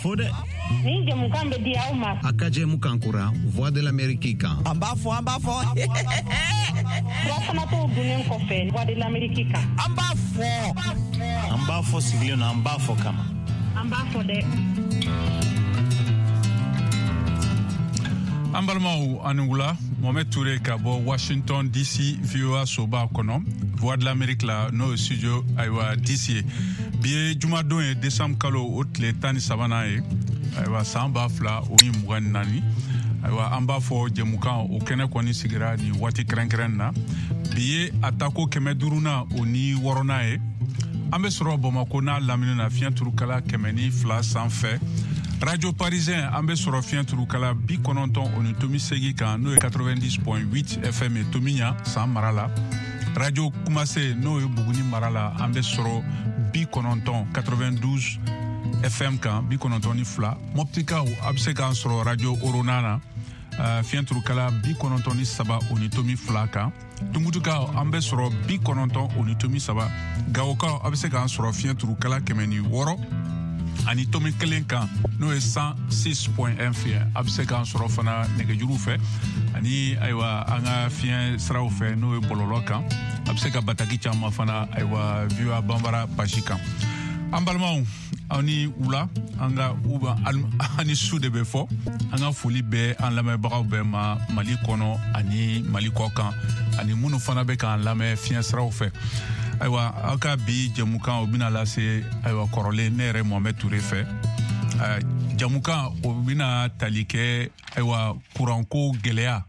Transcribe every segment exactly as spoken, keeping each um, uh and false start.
fɔ dɛ. Nin jɛmukan bɛ di aw ma. A ka jɛmukan kura Voix de l'Amérique kan. An b'a fɔ, an b'a fɔ. Fura dunnen kɔfɛ Voix de l'Amérique kan. An b'a fɔ. An b'a fɔ sigilen na, an b'a fɔ kama. An b'a fɔ dɛ. An balimaw, ani wula. Mohamed Touré ka bɔ Washington D C, V O A soba kɔnɔ, Voix de l'Amérique la, n'o ye studio ayiwa D C ye. Bi ye jumadon ye, décembre kalo o tile tan ni sabanan ye, ayiwa, san ba fila o ni mugan ni naani. Ayiwa, an b'a fɔ jɛmukan o kɛnɛ kɔni sigira nin waati kɛrɛnkɛrɛn na. Bi ye a tako kɛmɛ duurunan o ni wɔɔrɔnan ye. An bɛ sɔrɔ Bamako n'a lamini na, fiɲɛ turukala kɛmɛ ni fila sanfɛ. Radio Parisien, an bɛ sɔrɔ fiɲɛ turukala bi kɔnɔntɔn o ni tomi segi kan, n'o ye quatre-vingt-dix point huit F M ye, Tomiɲa san mara la. Radio Kumase, n'o ye Buguni mara la, an bɛ sɔrɔ bi kɔnɔntɔn quatre-vingt-douze F M kan, bi kɔnɔntɔn ni fila. Mɔptikaw, a bɛ se k'an sɔrɔ Radio Orona na, uh, fiɲɛ turukala bi kɔnɔntɔn ni saba o ni tomi fila kan. Tumutukaw, an bɛ sɔrɔ bi kɔnɔntɔn o ni tomi saba. Gawokaw, a bɛ se k'an sɔrɔ fiɲɛ turukala kɛmɛ ni wɔɔrɔ ani tomi kelen kan, n'o ye cent six point un fiɲɛ. A bɛ se k'an sɔrɔ fana nɛgɛjuru fɛ ani ayiwa an ka fiɲɛ siraw fɛ, n'o ye bɔlɔlɔ kan. A bɛ se ka bataki caman fana, ayiwa, V O A Banbara page kan. An balimaw, aw ni wula, an ka uba ani su de bɛ fɔ. An ka foli bɛ an lamɛnbagaw bɛɛ ma, Mali kɔnɔ ani Mali kɔ kan, ani minnu fana bɛ k'an lamɛn fiɲɛ siraw fɛ. Ayiwa, aw ka bi jɛmukan o bɛna lase, ayiwa, kɔrɔlen ne yɛrɛ Mohamɛd Ture fɛ. Jamukan o bɛna tali kɛ, ayiwa, kuranko gɛlɛya,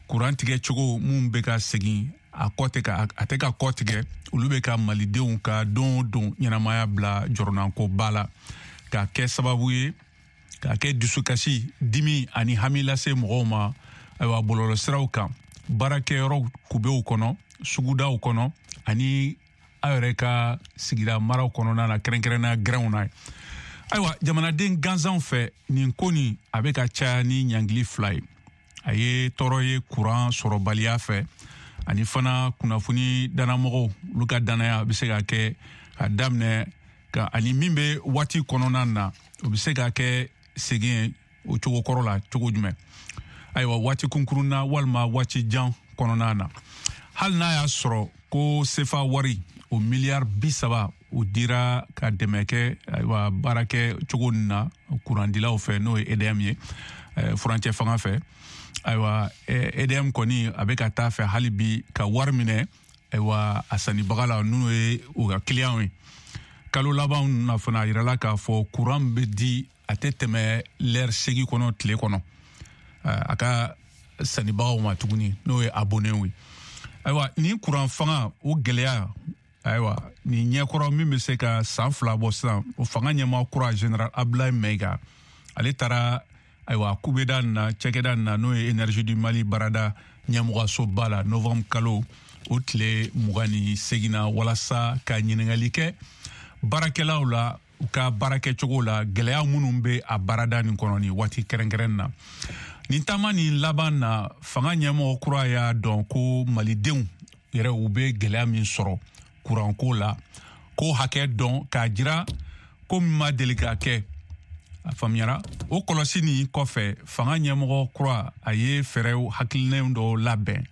kuran tigɛ cogo mun bɛ ka segin a kɔ tɛ ka a tɛ ka kɔ tigɛ, olu bɛ ka malidenw ka don o don ɲɛnamaya bila jɔrɔnankoba la, k'a kɛ sababu ye k'a kɛ dusukasi, dimi ani hami lase mɔgɔw ma, ayiwa, bɔlɔlɔsiraw kan, baarakɛyɔrɔ kubew kɔnɔ, sugudaw kɔnɔ ani aw yɛrɛ ka sigida maraw kɔnɔna na, kɛrɛnkɛrɛnnenya gɛrɛnw na. Ayiwa, jamanaden gansanw fɛ, nin ko nin a bɛ ka caya ni ɲangili fila ye. A ye tɔɔrɔ ye kuran sɔrɔbaliya fɛ, ani fana kunnafoni danamɔgɔw, olu ka danaya bɛ se ka kɛ ka daminɛ ka ani min bɛ waati kɔnɔna na, o bɛ se ka kɛ segin o cogo kɔrɔ la cogo jumɛn, ayiwa, waati kunkurun na walima waati jan kɔnɔna na. Hali n'a y'a sɔrɔ ko sefa wari o miliyari bi saba o dira ka dɛmɛ kɛ, ayiwa, baarakɛ cogo nin na kurandilaw fɛ, n'o ye E D M ye, furancɛ fanga fɛ. Ayiwa, E D M kɔni a bɛ ka taa fɛ hali bi ka wari minɛ, ayiwa, a sannibaga la, n'o ye u ka kiliyanw ye. Kalo laban na fana, a yirala k'a fɔ kuran bɛ di, a tɛ tɛmɛ lɛri seegin kɔnɔ tile kɔnɔ a ka sannibagaw ma tuguni, n'o ye abonnéw ye. Ayiwa, nin kuran fanga o gɛlɛya, ayiwa, nin ɲɛkɔrɔ min bɛ se ka san fila bɔ sisan, o fanga ɲɛmaa kura, général Abdoulaye Maïga, ale taara, ayiwa, kubeda nin na, cakɛda nin na, n'o ye Énergie du Mali baarada ɲɛmɔgɔsoba la, novembre kalo o tile mugan ni segin na, walasa ka ɲininkali kɛ baarakɛlaw la u ka baarakɛcogo la, gɛlɛya minnu bɛ a baarada nin kɔnɔ nin waati kɛrɛnkɛrɛn na. Nin taama nin laban na, fanga ɲɛmɔgɔ kura y'a dɔn ko malidenw yɛrɛ, u bɛ gɛlɛya min sɔrɔ kuranko la, k'o hakɛ dɔn k'a jira ko min ma deli ka kɛ. A faamuyara o kɔlɔsi nin kɔfɛ, fanga ɲɛmɔgɔ kura a ye fɛɛrɛw hakilinaw dɔw labɛn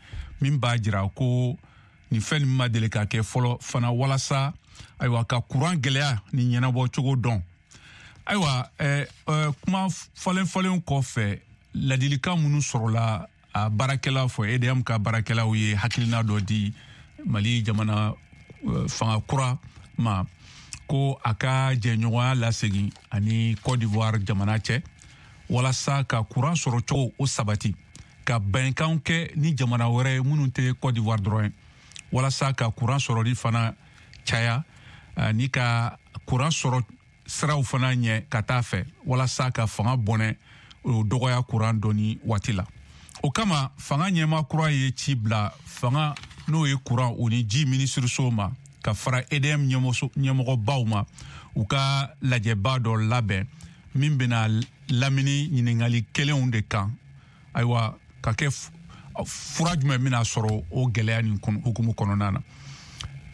min b'a jira ko nin fɛn nin ma deli ka kɛ fɔlɔ fana, walasa, ayiwa, ka kuran gɛlɛya ni ɲɛnabɔ cogo dɔn. Ayiwa, ɛɛ ɛɛ kuma falen falen kɔfɛ, ladilikan minnu sɔrɔla a baarakɛlaw fɔ, E D M ka baarakɛlaw ye hakilina dɔ di Mali jamana fanga kura ma, ko a ka jɛɲɔgɔnya lasegin ani Côte d'Ivoire jamana cɛ, walasa ka kuran sɔrɔ cogo o sabati, ka bɛnkanw kɛ ni jamana wɛrɛ ye minnu tɛ Côte d'Ivoire dɔrɔn ye, walasa ka kuran sɔrɔli fana caya ani ka kuran sɔrɔ siraw fana ɲɛ ka taa fɛ, walasa ka fanga bɔnɛ o dɔgɔya kuran dɔɔni waati la. O kama, fanga ɲɛmaa kura ye ci bila fanga, n'o ye kuran o ni ji minisiriso ma, ka fara E D M ɲɛmɔgɔbaw ma, u ka lajɛba dɔ labɛn min bɛna lamini ɲininkali kelenw de kan, ayiwa, ka kɛ fura jumɛn bɛna sɔrɔ o gɛlɛya nin hukumu kɔnɔna na.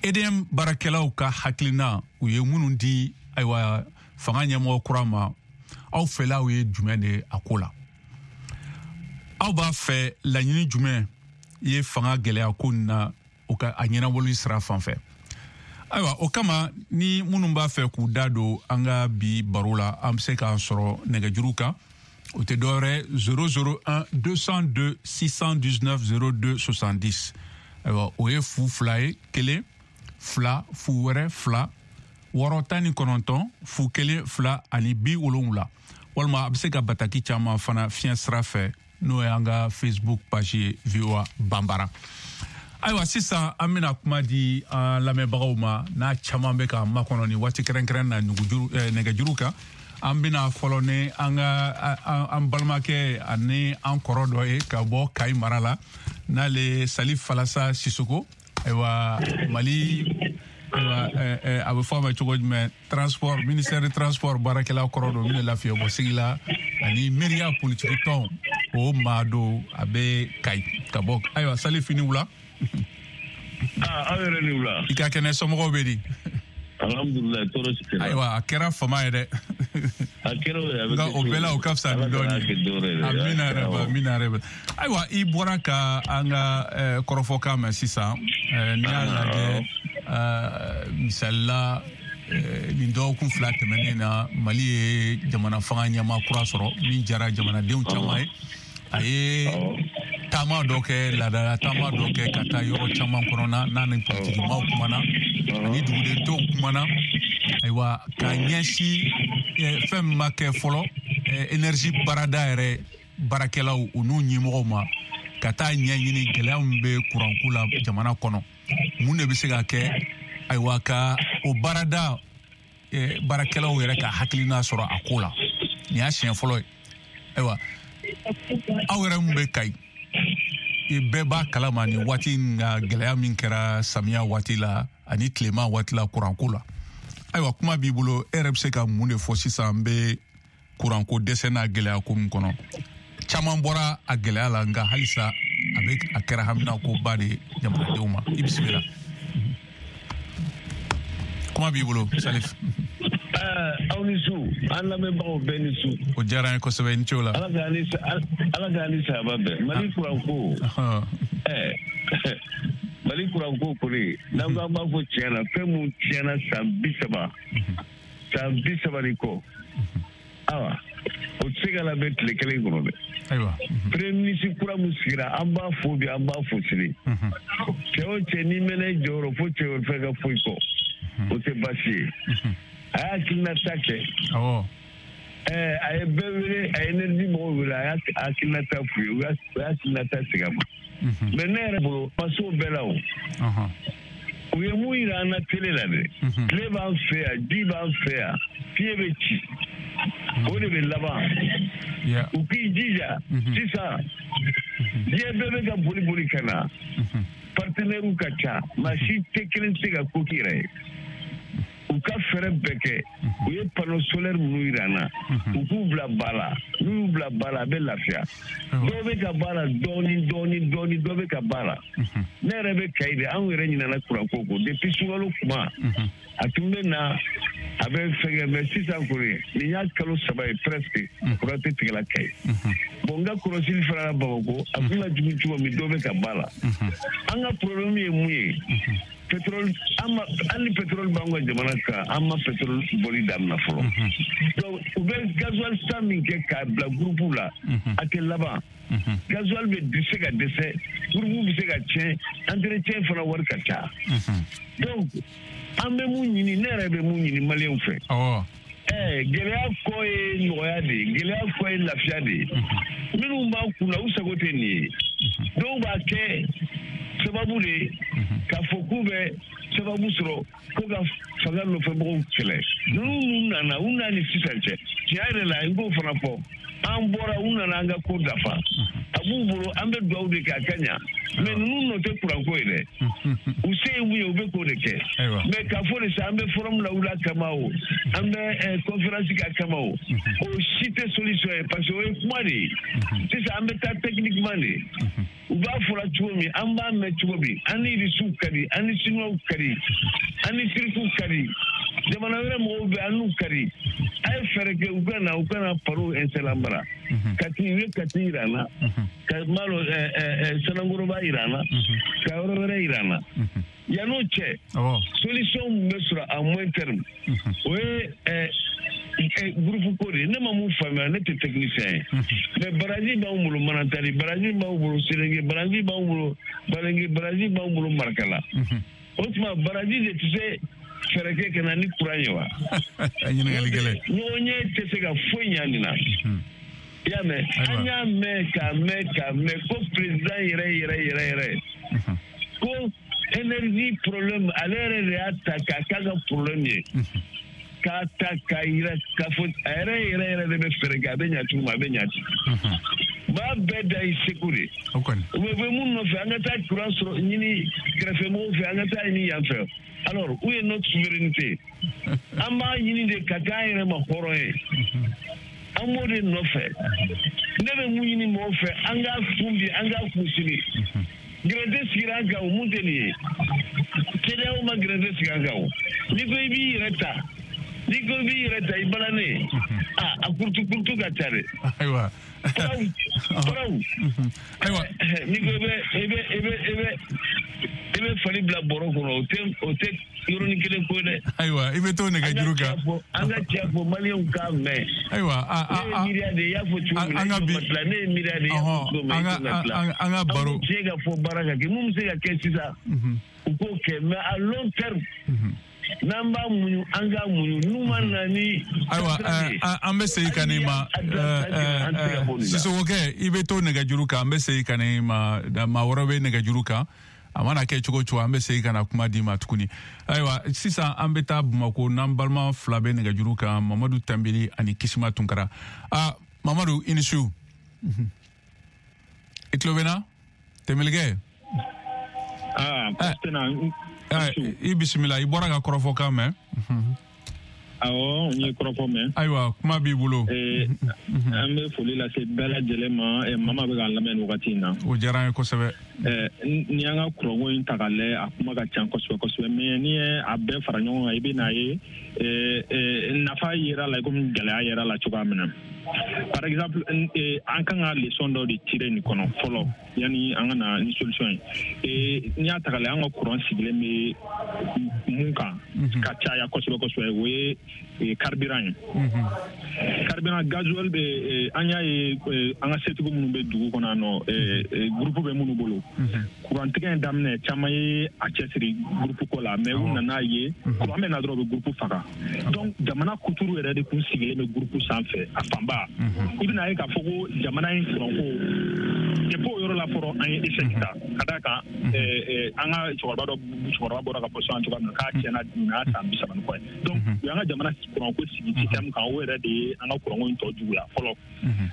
E D M baarakɛlaw ka hakilina u ye minnu di, ayiwa, fanga ɲɛmɔgɔ kura ma, Aw fɛlaw ye jumɛn de ye a ko la? Aw b'a fɛ laɲini jumɛn ye fanga gɛlɛya ko nin na o ka a ɲɛnabɔli sira fan fɛ? Ayiwa, o kama ni minnu b'a fɛ k'u da don an ka bi baro la, an bɛ se k'an sɔrɔ nɛgɛjuru kan. O tɛ dɔwɛrɛ zéro zéro un deux cent deux six cent dix-neuf zéro deux soixante-dix. Ayiwa, o ye fu fila ye, kelen fila fu wɛrɛ fila wɔɔrɔ tan ni kɔnɔntɔn fu kelen fila ani bi wolonwula. Walima a bɛ se ka bataki caman fana fiɲɛ sira fɛ, n'o y'an ka Facebook page ye V O A Banbara. Ayiwa, sisan an bɛna kuma di an lamɛnbagaw ma, n'a caman bɛ k'an makɔnɔ nin waati kɛrɛnkɛrɛn na nugujuru nɛgɛjuru kan. An bɛna fɔlɔ ni an ka an balimakɛ ani an kɔrɔ dɔ ye ka bɔ Kayi mara la, n'ale Salif Falasa Sisoko. Ayiwa, Mali, ayiwa, a bɛ fɔ a ma cogo jumɛn, transport, ministère de transport baarakɛla kɔrɔ don min bɛ lafiyabɔ sigi la ani miiriya politiki tɔn o maa don, a bɛ Kayi ka bɔ. Ayiwa, Salif, ni wula. Ah, aw yɛrɛ ni wula. I ka kɛnɛ, somɔgɔw bɛ di? Alhamdulilayi, tɔɔrɔ si tɛ. Ayiwa, a kɛra fama ye dɛ. A kɛra o ye, a bɛ nka o bɛɛ la o ka fisa ni dɔɔnin ye. Amina yɛrɛ ba, amina yɛrɛ ba. Ayiwa, i bɔra ka an ka kɔrɔfɔkan mɛn sisan. N'i y'a lajɛ, misali la, nin dɔgɔkun fila tɛmɛnen na, Mali ye jamana fanga ɲɛmaa kura sɔrɔ min diyara jamanadenw caman ye. A ye taama dɔ kɛ, laadala taama dɔ kɛ ka taa yɔrɔ caman kɔnɔna n'a ni politikimaw kumana ani duguden tɔw kumana. Ayiwa, ka ɲɛsin fɛn min ma kɛ fɔlɔ, énergie baarada yɛrɛ baarakɛlaw u n'u ɲɛmɔgɔw ma, ka taa ɲɛɲini gɛlɛya min bɛ kuranko la jamana kɔnɔ, mun de bɛ se ka kɛ, ayiwa, ka o baarada baarakɛlaw yɛrɛ ka hakilina sɔrɔ a ko la. Nin y'a siɲɛ fɔlɔ ye. Ayiwa, aw yɛrɛ mun bɛ Kayi, bɛɛ b'a kalama nin waati in ka gɛlɛya min kɛra samiya waati la ani tilema waati la kuranko la. Ayiwa, kuma b'i bolo, e yɛrɛ bɛ se ka mun de fɔ sisan n bɛ kuranko dɛsɛ n'a gɛlɛya ko min kɔnɔ? Caman bɔra a gɛlɛya la, nka halisa a bɛ a kɛra haminakoba de ye jamanadenw ma. I bisimila, kuma b'i bolo, Salif. Aw ni su, an lamɛnbagaw bɛɛ ni su. O diyara an ye kosɛbɛ, i ni ce o la. Ala k'an ni Ala k'an ni sahaba bɛn. Mali kuranko, ɛɛ Mali kuranko kɔni, n'an ko an b'a fɔ tiɲɛ na, fɛn mun tiɲɛna san bi saba, san bi saba ni kɔ, awa, o tɛ se ka labɛn tile kelen kɔnɔ dɛ. Ayiwa. Premier ministre kura mun sigira, an b'a fo bi, an b'a fo sini. Cɛ o cɛ n'i mɛnna i jɔyɔrɔ fo cɛ wɛrɛ fɛn ka foyi kɔ, o tɛ baasi ye. A y'a hakilinata kɛ. Awɔ. Ɛɛ a ye bɛɛ wele, a ye énergie mɔgɔw wele, a y'a hakilinata f'u ye, u y'a hakilinata segin a ma. Mais ne yɛrɛ bolo, ma s'o bɛɛ la o. U ye mun yira an na télé la dɛ. Tile b'an fɛ yan, ji b'an fɛ yan, fiɲɛ bɛ ci. O de bɛ laban. U k'i jija sisan, diɲɛ bɛɛ bɛ ka boli boli ka na. Partenaires ka ca, maa si tɛ kelen tɛ se ka ko k'i yɛrɛ ye. U ka fɛɛrɛ bɛɛ kɛ, u ye panneau solaire minnu yira an na, u k'u bila ba la, n'u y'u bila ba la, a bɛ lafiya. Dɔw bɛ ka ba la dɔɔni dɔɔni dɔɔni, dɔ bɛ ka ba la. Ne yɛrɛ bɛ Kayi de, anw yɛrɛ ɲinɛna kuranko kɔ depuis sunkalo kuma, a tun bɛ na, a bɛ fɛngɛ, mais sisan kɔni nin y'a kalo saba ye presque, kuran tɛ tigɛla Kayi. Bon, n ka kɔlɔsili fana la Bamakɔ, a kun ka jugu cogo min, dɔ bɛ ka ba la. An ka problème ye mun ye? Pétrole, an ni pétrole b'an ka jamana kan, an ma pétrole bɔli daminɛ fɔlɔ. Donc u bɛ gasoil san min kɛ k'a bila groupe la, a tɛ laban. Gasoil bɛ se ka dɛsɛ, groupe bɛ se ka tiɲɛ, entretien fana wari ka ca. Donc an bɛ mun ɲini, ne yɛrɛ bɛ mun ɲini maliyɛnw fɛ. Ɛɛ gɛlɛya kɔ ye nɔgɔya de ye, gɛlɛya kɔ ye lafiya de ye. Minnu b'an kunna, u sago tɛ nin ye. Dɔw b'a kɛ sababu de ye k'a fɔ k'u bɛ sababu sɔrɔ ko ka fanga nɔfɛmɔgɔw kɛlɛ. Ninnu ninnu nana, u nana ni sisan cɛ, tiɲɛ yɛrɛ la, i b'o fana fɔ. An bɔra, u nana an ka ko dafa. A b'u bolo, an bɛ dugawu de kɛ a ka ɲa. Mais ninnu nɔ tɛ kuranko ye dɛ. U se ye mun ye, u bɛ k'o de kɛ. Mais k'a fɔ de sa, an bɛ forum la wuli a kama o, an bɛ conférence k'a kama o, o si tɛ solution ye, parce que o ye kuma de ye. Sisan an bɛ taa techniquement de. U b'a fɔra cogo min, an b'a mɛn cogo min, an ni Irisiw ka di, an ni Sinuwaw ka di, an ni Tirikiw ka di. Jamana wɛrɛ mɔgɔw bɛ an n'u kari. A ye fɛɛrɛ kɛ u ka na u ka na panneau installer an bara. Kati u ye Kati yira an na. Ka malo Sanankoroba yira an na. Ka yɔrɔ wɛrɛ yira an na. Yan'o cɛ. Solution min bɛ sɔrɔ à moyen terme. O ye groupe ko de ye. Ne ma mun faamuya, ne tɛ technicien ye. Mais baraji b'anw bolo Manantali, baraji b'anw bolo Selenge, baraji b'anw bolo Balenge, baraji b'anw bolo Marakala. O tuma baraji de tɛ se fɛɛrɛ kɛ ka na ni courant ye wa? Ɲininkali gɛlɛn. Ɲɔgɔn ɲɛ tɛ se ka foyi ɲa nin na. I y'a mɛn? An y'a mɛn k'a mɛn k'a mɛn ko président yɛrɛ yɛrɛ yɛrɛ yɛrɛ ko énergie problème ale yɛrɛ de y'a ta k'a k'a ka problème ye. K'a ta k'a yira k'a fɔ a yɛrɛ yɛrɛ yɛrɛ de bɛ fɛɛrɛ kɛ a bɛ ɲa cogo min a bɛ ɲa ten. Maa bɛɛ da i seko de. U bɛ bɔ mun nɔfɛ an ka taa courant sɔrɔ ɲini kɛrɛfɛmɔgɔw fɛ an ka taa ɲini yan fɛ. Alors où est notre souveraineté? An b'a ɲini de ka k'an yɛrɛ ma hɔrɔn ye. An b'o de nɔfɛ. Ne bɛ mun ɲini mɔgɔw fɛ an k'a kun bi an k'a kun sini. Gɛrɛntɛ sigira an kan o mun tɛ nin ye. CEDEAO ma gɛrɛntɛ sigi an kan o. N'i ko i b'i yɛrɛ ta. N'i ko i b'i yɛrɛ ta i balannen. Ah a kurutu kurutu ka ca dɛ. Ayiwa. Faraw faraw. Ayiwa. N'i ko i bɛ i bɛ i bɛ i bɛ i bɛ fali bila bɔrɔ kɔnɔ o tɛ o tɛ yɔrɔnin kelen ko ye dɛ. Ayiwa i bɛ to nɛgɛjuru kan. An ka cɛ fɔ maliyɛnw k'a mɛn. Ayiwa a a ne ye miiriya de ye i y'a fɔ cogo min na an ka bi ne ye miiriya de ye i y'a fɔ cogo min na i tɛna tila. An ka baro. An bɛ tiɲɛ ka fɔ baara ka kɛ mun bɛ se ka kɛ sisan. U k'o kɛ mais à long terme. N'an b'a muɲu an k'a muɲu n'u ma na ni. Ayiwa an bɛ segin ka n'i ma Sisokokɛ i bɛ to nɛgɛjuru kan an bɛ segin ka n'i ma maa wɛrɛ bɛ nɛgɛjuru kan. A mana kɛ cogo cogo an bɛ segin ka na kuma d'i ma tuguni. Ayiwa sisan an bɛ taa Bamakɔ n'an balima fila bɛ nɛgɛjuru kan Mamadu Tanbili ani Kisima Tunkara. Aa Mamadu i ni su. I tulo bɛ n na Tɛmɛlikɛ. Aa i bisimila i bɔra ka kɔrɔfɔ kan mɛn. Awɔ n ye kɔrɔfɔ mɛn. Ayiwa kuma b'i bolo. An bɛ foli lase bɛɛ lajɛlen ma mama bɛ k'an lamɛn nin wagati in na. O diyara an ye kosɛbɛ. N'i y'an ka kuranko in ta k'a lajɛ a kuma ka ca kosɛbɛ kosɛbɛ mais n'i ye a bɛɛ fara ɲɔgɔn kan i bɛ n'a ye nafa yera la i komi gɛlɛya yera la cogoya min na. Par exemple an kan ka leçon dɔ de tirer nin kɔnɔ fɔlɔ yanni an ka na ni solution ye. N'i y'a ta k'a lajɛ an ka kuran sigilen bɛ mun kan ka caya kosɛbɛ kosɛbɛ o ye carburant ye. Carburant gasoil bɛ an y'a ye an ka setigiw minnu bɛ dugu kɔnɔ yan nɔ groupe bɛ minnu bolo. Kurantigɛ in daminɛ caman ye a cɛsiri groupe ko la mais u nana ye kuran bɛ na dɔrɔn u bɛ groupe faga. Donc jamana kuturu yɛrɛ de kun sigilen bɛ groupe sanfɛ a fanba. I bɛna ye k'a fɔ ko jamana in kuranko depuis o yɔrɔ la fɔlɔ an ye échec ta ka d'a kan an ka cɛkɔrɔba dɔ cɛkɔrɔba bɔra ka fɔ sisan cogoya min na k'a tiɲɛna nin y'a san bi saba ni kɔ ye. Donc u y'an ka jamana kuranko sigi système kan o yɛrɛ de ye an ka kuranko in tɔ juguya fɔlɔ.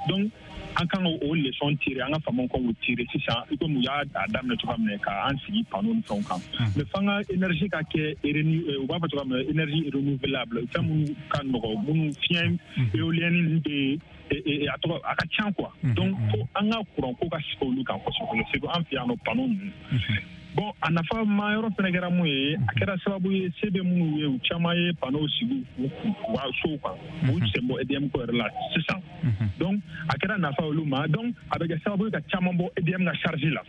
Donc an kan k'o leçon tirer an ka faamaw kan k'o tirer sisan i komi u y'a daminɛ cogoya min na k'an sigi panneau ni fɛnw kan. Mais f'an ka énergie ka kɛ u b'a fɔ cogoya min na énergie renouvelable fɛn minnu ka nɔgɔ minnu fiɲɛ éolienne bɛ a tɔgɔ a ka ca quoi. Donc fo an ka kuranko ka sigi olu kan kosɛbɛ surtout an fɛ yan nɔ panneau ninnu. Bon a nafa ma yɔrɔ fɛnɛ kɛra mun ye a kɛra sababu ye se bɛ minnu ye u caman ye panneau sigi u ka sow kan u sen bɔ E D M ko yɛrɛ la sisan. Donc a kɛra nafa olu ma donc a bɛ kɛ sababu ye ka caman bɔ E D M ka charge la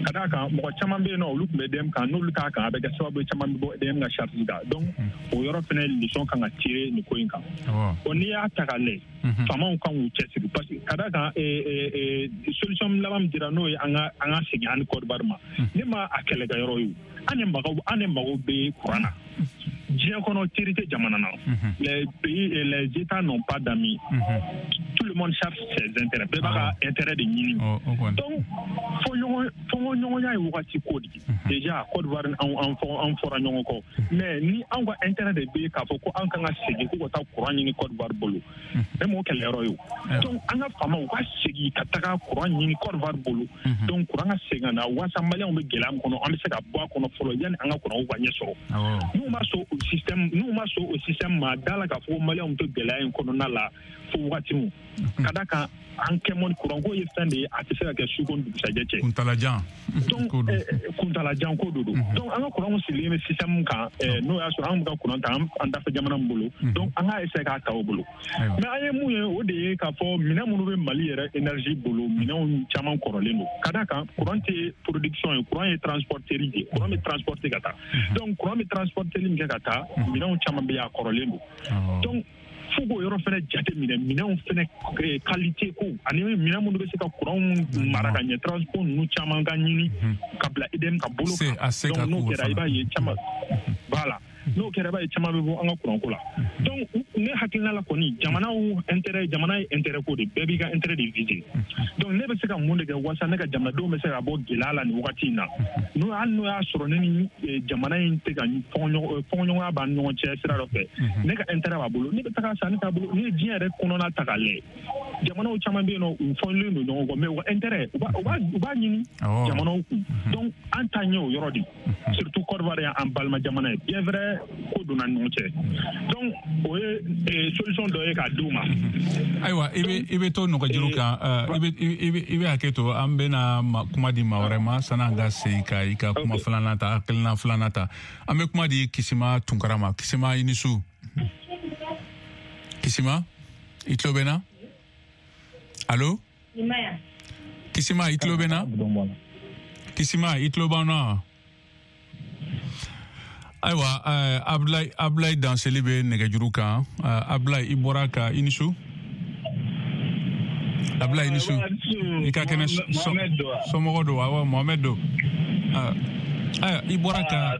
ka d'a kan mɔgɔ caman bɛ yen nɔ olu tun bɛ E D M kan n'olu t'a kan a bɛ kɛ sababu ye caman bɛ bɔ E D M ka charge kan donc o yɔrɔ fɛnɛ leçon kan ka tirer nin ko in kan. Bon n'i y'a ta k'a lajɛ faamaw kan k'u cɛsiri parce que ka d'a kan solution laban min dira n'o ye an ka an ka segin an ni Côte d'Ivoire ma ne ma a kɛlɛkɛyɔrɔ ye an de mago an de mago bɛ kuran na. Diɲɛ kɔnɔ teri tɛ jamana na. Les pays et les États n'ont pas d'amis. Tout le monde cherche ses intérêts. Bɛɛ b'a ka intérêt de ɲini. Donc fɔ ɲɔgɔn fɔɲɔgɔnya ye wagati ko de ye. Déjà Côte d'Ivoire an an an fɔra ɲɔgɔn kɔ. Mais ni anw ka intérêt de bɛ k'a fɔ ko an kan ka segin ko ka taa kuran ɲini Côte d'Ivoire bolo. Ne m'o kɛlɛyɔrɔ ye o. Donc an ka faamaw ka segin ka taga kuran ɲini Côte d'Ivoire bolo. Donc kuran ka segin ka na walasa maliyɛnw bɛ gɛlɛya min kɔnɔ an bɛ se ka bɔ a kɔnɔ fɔlɔ yanni an ka kuranw ka ɲɛ sɔrɔ. N'u ma sɔn o système n'u ma sɔn o système ma da la k'a fɔ ko maliyɛnw to gɛlɛya in kɔnɔna la fo wagati min. Ka d'a kan an kɛ mɔni kuranko ye fɛn de ye, a tɛ se ka kɛ su ko ni dugusajɛ cɛ. Kuntalajan. Donc kuntalajan ko de don. Donc an ka kuranw sigilen bɛ système min kan, n'o y'a sɔrɔ an bɛ ka kuran ta an dafɛ jamana min bolo, donc an k'a essayer k'a ta o bolo. Mais an ye mun ye, o de ye k'a fɔ minɛn minnu bɛ Mali yɛrɛ énergie bolo, minɛnw caman kɔrɔlen don. Ka d'a kan kuran tɛ production ye, kuran ye transporteri de ye, kuran bɛ transporter ka taa. Donc kuran bɛ transporteri min kɛ ka taa, minɛnw caman bɛ yen a kɔrɔlen don. Donc fo k'o yɔrɔ fɛnɛ jate minɛ, minɛnw fɛnɛ qualité ko ani minɛn minnu bɛ se ka kuranw mara ka ɲɛ, transport ninnu caman ka ɲini ka bila E D M ka bolo kan. Donc n'o kɛra i b'a ye caman, voilà, n'o kɛra i b'a ye caman bɛ bɔ an ka kuranko la. Donc ne hakilina la kɔni, jamanaw intérêt, jamana ye intérêt ko de, bɛɛ b'i ka intérêt de viser. Donc ne bɛ se ka mun de kɛ walasa ne ka jamanadenw bɛ se ka bɔ gɛlɛya la nin wagati in na, n'o hali n'o y'a sɔrɔ ne ni jamana in tɛ ka fɔɲɔgɔnya b'an ni ɲɔgɔn cɛ sira dɔ fɛ, ne ka intérêt b'a bolo, ne bɛ taga san ne t'a bolo. N'i ye diɲɛ yɛrɛ kɔnɔna ta k'a lajɛ, jamanaw caman bɛ yen nɔ, u fɔlen don ɲɔgɔn kɔ, mais u ka intérêt u b'a u b'a ɲini jamanaw kun. Donc an ta ɲɛ o yɔrɔ de, surtout Côte d'Ivoire y'an balima jamana ye, bien vrai ko donna ni ɲɔgɔn cɛ. Donc o ye solution dɔ ye k'a d'u ma. Ayiwa, i bɛ i bɛ to nɔgɔjuru kan, i bɛ i bɛ i bɛ hakɛ to, an bɛna kuma di maa wɛrɛ ma san'an ka segin ka i ka kuma filanan ta, hakilina filanan ta. An bɛ kuma di Kisima Tunkara ma. Kisima, i ni su. Kisima, i tulo bɛ n na? Allo? Kisima, i tulo bɛ n na? Kisima, i tulo b'an na? Ayiwa, Ablaye Ablaye Danseli bɛ nɛgɛjuru kan. Ablaye, i bɔra ka i ni su. Ablaye, i ni su. I ka kɛnɛ, somɔgɔ don? Awɔ, Mohamed don. Ayiwa, i bɔra ka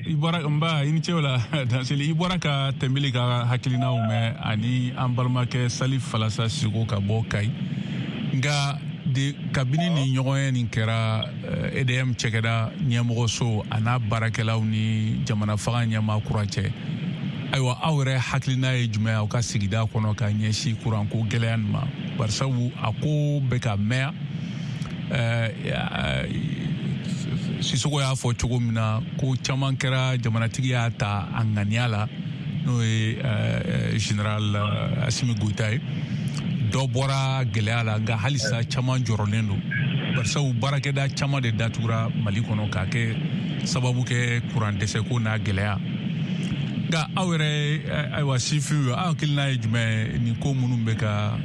i bɔra nba i ni ce o la Danseli, i bɔra ka Tɛnbeli ka hakilinaw mɛn ani an balimakɛ Salif Falasa Siko ka bɔ Kayi. Nka de kabini ni ɲɔgɔn ye nin kɛra E D M cɛkɛda ɲɛmɔgɔso a n'a baarakɛlaw ni jamana fanga ɲɛmaa kura cɛ, ayiwa aw yɛrɛ hakilina ye jumɛn aw ka sigida kɔnɔ ka ɲɛsin kuranko gɛlɛya nin ma? Barisabu a ko bɛ ka mɛn. Sisoko y'a fɔ cogo min na, ko caman kɛra, jamanatigi y'a ta a ŋaniya la, n'o ye général Assimi Goïta ye. Dɔ bɔra gɛlɛya la, nka halisa caman jɔrɔlen don, barisabu baarakɛda caman de datugura Mali kɔnɔ k'a kɛ sababu kɛ kuran dɛsɛko n'a gɛlɛya. Nka aw yɛrɛ, ayiwa sifinw ye, aw hakilina ye jumɛn nin ko minnu bɛ ka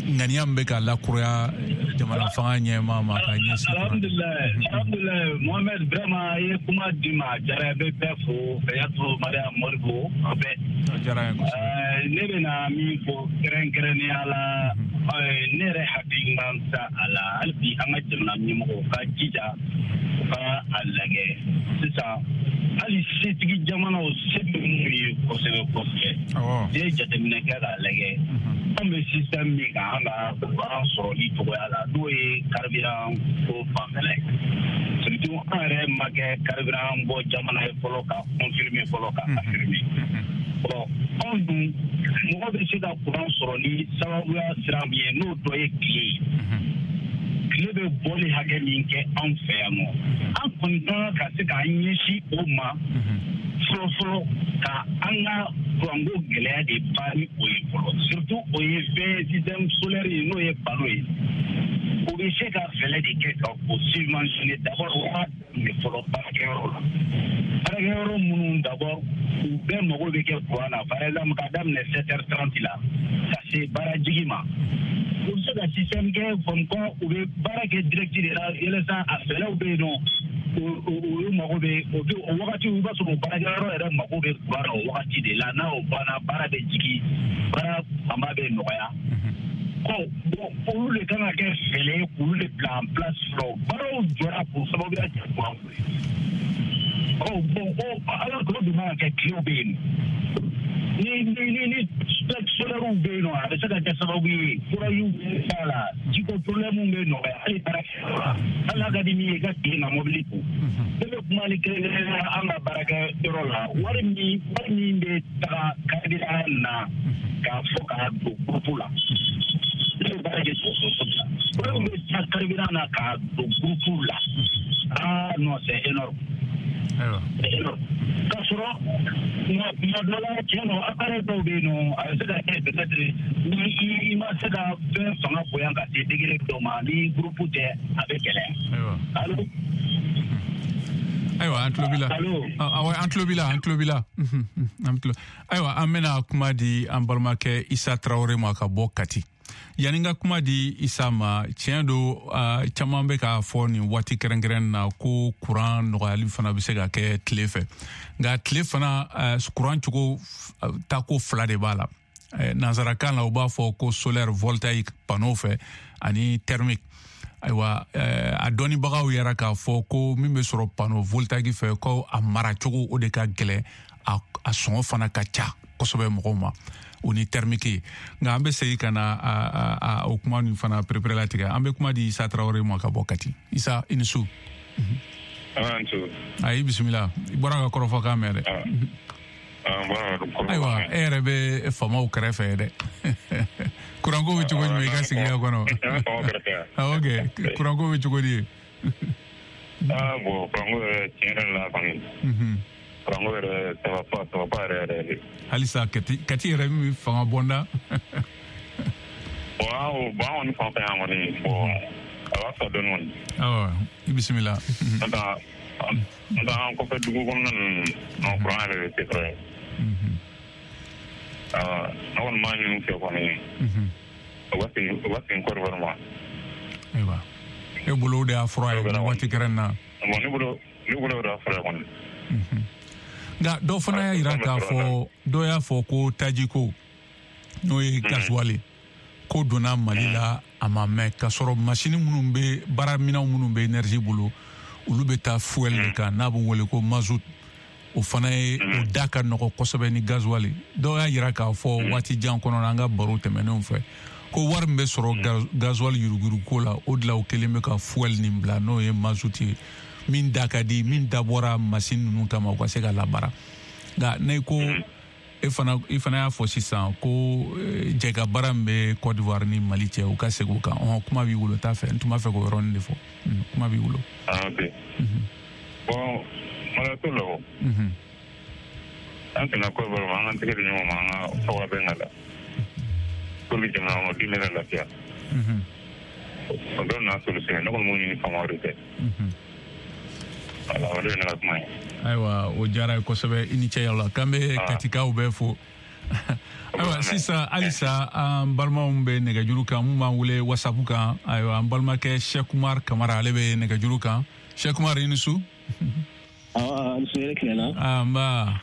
ŋaniya min bɛ ka lakuraya jamana fanga ɲɛmaa ma ka ɲɛsin? Alhamdulilayi, alhamdulilayi Mohamed, vraiment i ye kuma di ma, a diyara n ye, bɛ bɛɛ fo, Kayatu, Mariam, Modibo, aw bɛɛ. A diyara n ye kosɛbɛ. Ne bɛna min fɔ kɛrɛnkɛrɛnnenya la, ne yɛrɛ hakilina ta a la, hali bi an ka jamana ɲɛmɔgɔw ka jija u ka a lajɛ sisan, hali setigi jamanaw se bɛ minnu ye kosɛbɛ kosɛbɛ, n'i ye jateminɛ kɛ k'a lajɛ, an bɛ système min kan an ka kuran sɔrɔli cogoya la, n'o ye carburant ko fanfɛla ye, surtout an yɛrɛ ma kɛ carburant bɔ jamana ye fɔlɔ ka confirmer fɔlɔ ka affirmer. Bon, anw dun mɔgɔ bɛ se ka kuran sɔrɔ ni sababuya sira min ye, n'o dɔ ye tile ye. Tile bɛ bɔli hakɛ min kɛ anw fɛ yan nɔ, an kɔni ka kan ka se k'an ɲɛsin o ma fɔlɔ fɔlɔ, ka an ka kuranko gɛlɛya de ban ni o ye fɔlɔ. Surtout o ye fɛn système solaire ye, n'o ye panneau ye, o bɛ se ka fɛɛrɛ de kɛ ka o subventionner d'abord o ka daminɛ fɔlɔ baarakɛyɔrɔ la. Baarakɛyɔrɔ minnu d'abord u bɛɛ mago bɛ kɛ kuran na, par exemple ka daminɛ sept heures trente la ka se baarajigi ma, u bɛ se ka système kɛ comme quoi u bɛ baara kɛ direct de la, yalasa a fɛɛrɛw bɛ yen nɔ, olu mago bɛ o o wagati, i b'a sɔrɔ o baarakɛyɔrɔ yɛrɛ mago bɛ kuran na o wagati de la, n'a o banna baara bɛ jigin, baara fanba bɛ nɔgɔya. Bon, olu de kan ka kɛ fɛɛrɛ ye k'olu de bila en place fɔlɔ. Baaraw jɔra k'o sababuya kɛ kuran ko ye. Ɔ bon, o ala k'o dun man ka kɛ, tilew bɛ yen, ni ni ni ni solaires bɛ yen nɔ, a bɛ se ka kɛ sababu ye furajiw bɛ b'a la, jiko problème bɛ nɔgɔya, hali baarakɛyɔrɔ la, hali n'a ka di min ye i ka tile ka mobili ko. Ne bɛ kuma ni kɛrɛnkɛrɛnnenya an ka baarakɛyɔrɔ la, wari min wari min bɛ taga carburant na k'a fɔ k'a don groupe la, ne bɛ baara kɛ dɔgɔtɔrɔso de la, wari min bɛ taa carburant na k'a don groupe la, ah non, c'est énorme. Ayiwa. K'a sɔrɔ tuma dɔ la tiɲɛ don appareil dɔw bɛ yen nɔ a bɛ se ka kɛ peut-être ni i ma se ka fɛn fanga bonya ka se degré dɔ ma ni groupe tɛ a bɛ gɛlɛya. Ayiwa. Allo. Ayiwa an tulo b'i la. Awɔ an tulo b'i la an tulo b'i la. An tulo. Ayiwa an bɛna kuma di an balimakɛ Isa Tarawele ma ka bɔ Kati. Yanni n ka kuma di Isa ma, tiɲɛ don caman bɛ k'a fɔ nin waati kɛrɛnkɛrɛn na ko kuran nɔgɔyali fana bɛ se ka kɛ tile fɛ. Nka tile fana kuran cogo tako fila de b'a la. Nansarakan la u b'a fɔ ko solaire voltaïque panneau fɛ ani thermique. Ayiwa a dɔnnibagaw yɛrɛ k'a fɔ ko min bɛ sɔrɔ panneau voltaïque fɛ ko a maracogo o de ka gɛlɛn, a sɔngɔ fana ka ca kosɛbɛ mɔgɔw ma o ni thermique ye. Nka an bɛ segin ka na a o kuma nin fana pereperelatigɛ. An bɛ kuma di Isa Tarawele ma ka bɔ Kati. Isa i ni su. Ayi bisimila, i bɔra ka kɔrɔfɔkan mɛn dɛ. Ayiwa e yɛrɛ bɛ faamaw kɛrɛfɛ dɛ. Kuranko bɛ cogo jumɛn i ka sigida kɔnɔ? Ok, kuranko bɛ cogo di ye? Ah bon, kuranko yɛrɛ tiɲɛ yɛrɛ la kɔni. Kuranko yɛrɛ ça va pas, ça va pas yɛrɛ yɛrɛ de. Halisa Kati Kati yɛrɛ min fanga bɔnda. Bon an bon an kɔni fan fɛ yan kɔni bon a b'a fisa dɔɔni kɔni. Awɔ i bisimila. N'o tɛ n'o tɛ an kɔfɛ dugu kɔnɔna ninnu non kuran yɛrɛ de tɛ sɔrɔ yen. Awɔ ne kɔni b'a ɲini u fɛ kɔni. U ka segin u ka segin Côte d'Ivoire ma. Ayiwa e bolo o de y'a fura ye nin waati kɛrɛn na. Bon ne bolo ne bolo o de y'a fura ye kɔni. Nka dɔw fana y'a jira k'a fɔ dɔw y'a fɔ ko tajiko n'o ye gasoil ko donna Mali la a ma mɛn k'a sɔrɔ masini minnu bɛ baaraminɛnw minnu bɛ énergie bolo olu bɛ taa fuel de kan n'a bɛ wele ko mazout, o fana ye o da ka nɔgɔ kosɛbɛ ni gasoil. Dɔw y'a jira k'a fɔ waati jan kɔnɔ an ka baro tɛmɛnenw fɛ ko wari min bɛ sɔrɔ gasoil yuruguyurugu la o de la o kelen bɛ ka fuel nin bila n'o ye mazout ye min da ka di min dabɔra masini ninnu kama u ka se ka labaara. Nka ne ko e fana i fana y'a fɔ sisan ko jɛka baara min bɛ Côte d'Ivoire ni Mali cɛ u ka segin o kan. Ɔhɔn kuma b'i bolo t'a fɛ n tun b'a fɛ k'o yɔrɔnin de fɔ. Kuma b'i bolo. Ah ok. Bon mara t'o la o. An tɛna Côte d'Ivoire ma an k'an tɛgɛ di ɲɔgɔn ma an ka fɔ ka bɛn ka la. Pour que jamana kɔnɔden bɛ ka lafiya. O dɔw n'a solution ne kɔni b'o ɲini faamaw de fɛ. Voilà, o de ye ne ka kuma ye. Ayiwa o diyara ye kosɛbɛ i ni ce la k'an bɛ Katikaw bɛɛ fo. Ayiwa sisan halisa an balimaw bɛ nɛgɛjuru kan mun b'an wele WhatsApp kan. Ayiwa an balimakɛ Cheikh Umar Kamara ale bɛ nɛgɛjuru kan. Cheikh Umar i ni su. Awɔ ni su yɛrɛ tilenna. Ah nba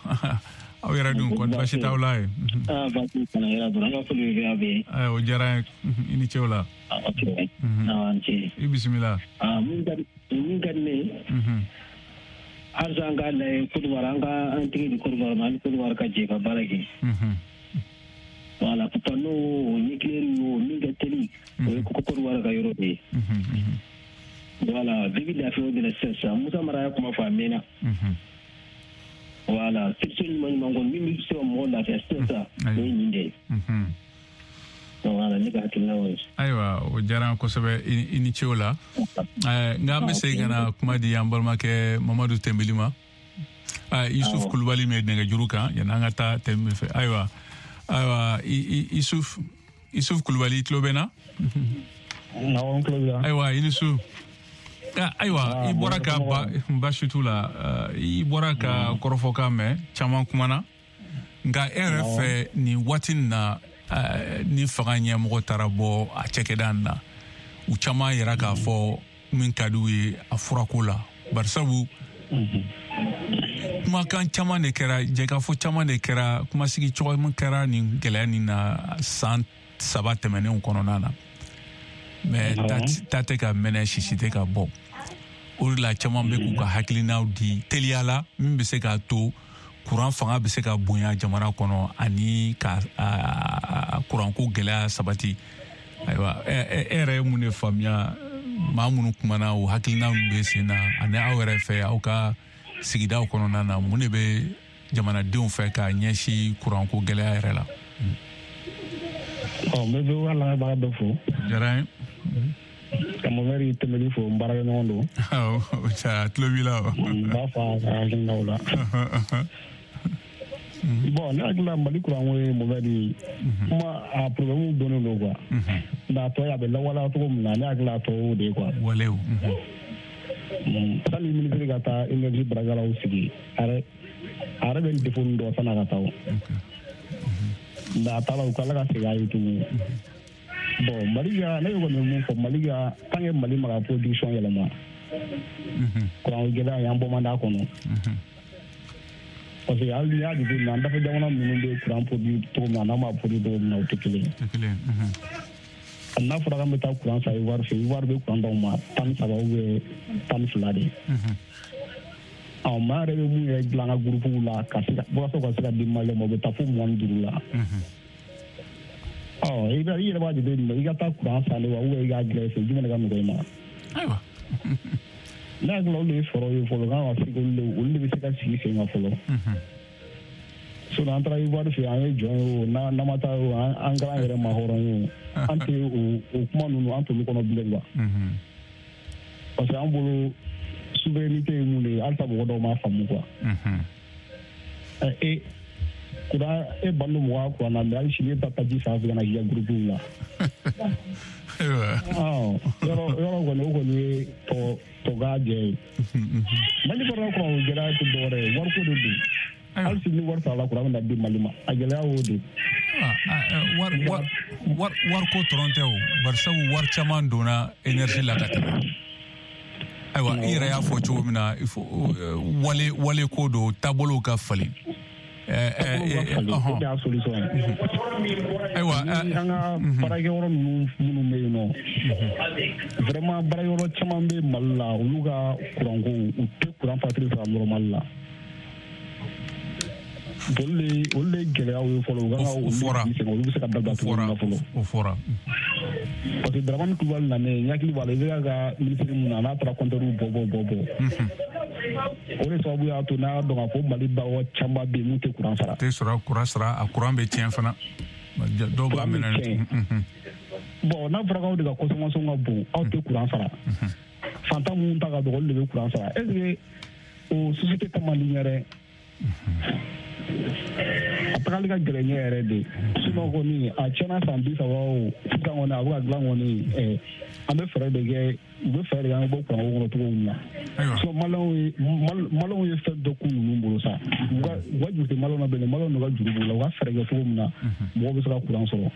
aw yɛrɛ dun kɔni baasi t'aw la ye. Ah baasi t'an na yɛrɛ dɔrɔn an ka foli bɛ aw bɛɛ. Ayiwa o diyara n ye i ni ce o la. Ok awɔ ni ce. I bisimila. Ah min ka di min ka di ne ye. Halisa an k'a lajɛ Côte d'Ivoire an ka an tɛgɛ di Côte d'Ivoire ma an ni Côte d'Ivoire ka jɛ ka baara kɛ. Voilà panneau o nucléaire o min ka teli o ye Côte d'Ivoire ka yɔrɔ de ye. Voilà bɛɛ bɛ lafiya o de la sisan sisan Musa Mara y'a kuma fɔ a mɛnna. Voilà solution ɲuman ɲuman kɔni min bɛ se ka mɔgɔ lafiya sisan sisan o ye nin de ye. Voilà ne ka hakilina y'o ye. Ayiwa o diyara n kosɛbɛ i ni ce o la. Nka an bɛ segin ka na kuma di an balimakɛ Mamadu Tɛnbeli ma. Yusuf Kulubali bɛ nɛgɛjuru kan yanni an ka taa Tɛnbeli fɛ. Ayiwa ayiwa Yusuf Yusuf Kulubali i tulo bɛ n na? Awɔ n tulo b'i la. Ayiwa i ni su. Ayiwa i bɔra ka baasi t'u la i bɔra ka kɔrɔfɔkan mɛn caman kumana nka e yɛrɛ fɛ nin waati in na ni fanga ɲɛmɔgɔ taara bɔ a cakɛda in na u caman yɛrɛ k'a fɔ min ka di u ye a furako la barisabu kumakan caman de kɛra jɛkafɔ caman de kɛra kumasigi cogo min kɛra nin gɛlɛya nin na san saba tɛmɛnenw kɔnɔna na mais ta tɛ ka mɛnɛ sisi tɛ ka bɔ o de la caman bɛ k'u ka hakilinaw di teliya la min bɛ se k'a to kuran fanga bɛ se ka bonya jamana kɔnɔ ani ka kuranko gɛlɛya sabati. Ayiwa e yɛrɛ ye mun de faamuya maa minnu kumana o hakilina min bɛ sen na ani aw yɛrɛ fɛ aw ka sigidaw kɔnɔna na mun de bɛ jamanadenw fɛ k'a ɲɛsin kuranko gɛlɛya yɛrɛ la? Ɔ n bɛ V O A lamɛnbaga bɛɛ fo. Diyara n ye. Ka Mohamed Tɛmɛli fo n baarakɛɲɔgɔn don. Awɔ, a tulo b'i la. N b'a fɔ a ka hakilinaw la. Bon, ne hakili la Mali kuranko ye Mohamed kuma a problème donnen don quoi. Nka a tɔ ye a bɛ lawaleya cogo min na ne hakili la a tɔ y'o de ye quoi. Walew. Sani minisiri ka taa énergie baarakɛlaw sigi a yɛrɛ a yɛrɛ bɛ nin défaut nin dɔn san'a ka taa o. Nka a taara u ka ala ka segin a ye tuguni. Bon, Mali ka ne kɔni bɛ mun fɔ Mali ka tant que Mali ma ka production yɛlɛma. Kuranko gɛlɛya in an bɔ man d'a kɔnɔ. Parce que hali n'i y'a jateminɛ an dafɛ jamana ninnu bɛ kuran produit cogo min na n'an b'a produit cogo min na o tɛ kelen ye. Tɛ kelen ye. N'a fɔra k'an bɛ taa kuran san Ivoire fɛ, Ivoire bɛ kuran d'aw ma tan ni saba ou bien tan ni fila de. Ɔ maa yɛrɛ bɛ mun yɛrɛ dilan an ka groupe la ka se ka walasa ka se ka di Malien ma o bɛ taa fo mugan ni duuru la. Ɔ i bɛ i yɛrɛ b'a jateminɛ i ka taa kuran san de wa ou bien i k'a dilan i fɛ jumɛn de ka nɔgɔ i ma. Ayiwa. Ne hakili la olu de ye fɔlɔ ye fɔlɔ kan ka se olu de olu de bɛ se ka sigi sen kan fɔlɔ. Sinon an taara Ivoire fɛ an ye jɔn ye o n'an ma taa o an kɛra an yɛrɛ ma hɔrɔn ye o an tɛ o o kuma ninnu an t'olu kɔnɔ bilen quoi. Parce que an bolo souveraineté ye mun de ye halisa mɔgɔ dɔw m'a faamu quoi. Ɛ e kuran e ban don mɔgɔ ka kuran na mais hali sini e bɛ taa taji san fɛ ka na k'i ka groupe la. Ɔ yɔrɔ yɔrɔ kɔni o kɔni ye tɔ tɔ k'a jɛ ye. Mali kɔnɔ kuran o gɛlɛya tɛ dɔwɛrɛ ye wariko de don. Hali sini ni wari sarala kuran bɛ na di Mali ma a gɛlɛya y'o de ye. Wari wari wariko dɔrɔn tɛ o barisabu wari caman donna énergie la ka tɛmɛ. Ayiwa i yɛrɛ y'a fɔ cogo min na il faut wale wale ko don taabolow ka falen. O de y'a solution ye. Ayiwa an ka baarakɛyɔrɔ ninnu minnu bɛ yen nɔ vraiment baarakɛyɔrɔ caman bɛ Mali la olu ka kuranko u tɛ kuran facture sara normal la. Olu de olu de ye gɛlɛyaw ye fɔlɔ u kan ka olu sigi sen kan olu bɛ se ka dabila cogo min na fɔlɔ. O fɔra. Parce que Dramane Kulubali nanen n hakili b'a la i bɛ ka minisiri mun na n'a taara compteur bɔ bɔ bɔ bɔ. O de sababu y'a to n'a dɔn k'a fɔ Mali bagan caman bɛ yen mun tɛ kuran sara. Tɛ sɔrɔ kuran sara a kuran bɛ tiɲɛ fana. Dɔw b'a minɛ. Bon n'a fɔra k'aw de ka consommation ka bon aw tɛ kuran sara. Fantan minnu ta ka dɔgɔ olu de bɛ kuran sara est ce que o société ta man di ɲɛ dɛ. A tagali ka gɛlɛn ɲɛ yɛrɛ de sinon kɔni a tiɲɛna san bi saba o sisan kɔni a bɛ ka dilan kɔni ɛ an bɛ fɛɛrɛ de kɛ u bɛ fɛɛrɛ de kɛ an bɛ bɔ kuranko kɔnɔ cogo min na sinon maliyɛnw ye maliyɛnw ye fɛn dɔ k'u ninnu bolo sa u ka u ka juru tɛ maliyɛnw na bilen maliyɛnw ka juru b'u la u ka fɛɛrɛ kɛ cogo min na mɔgɔw bɛ se ka kuran sɔrɔ.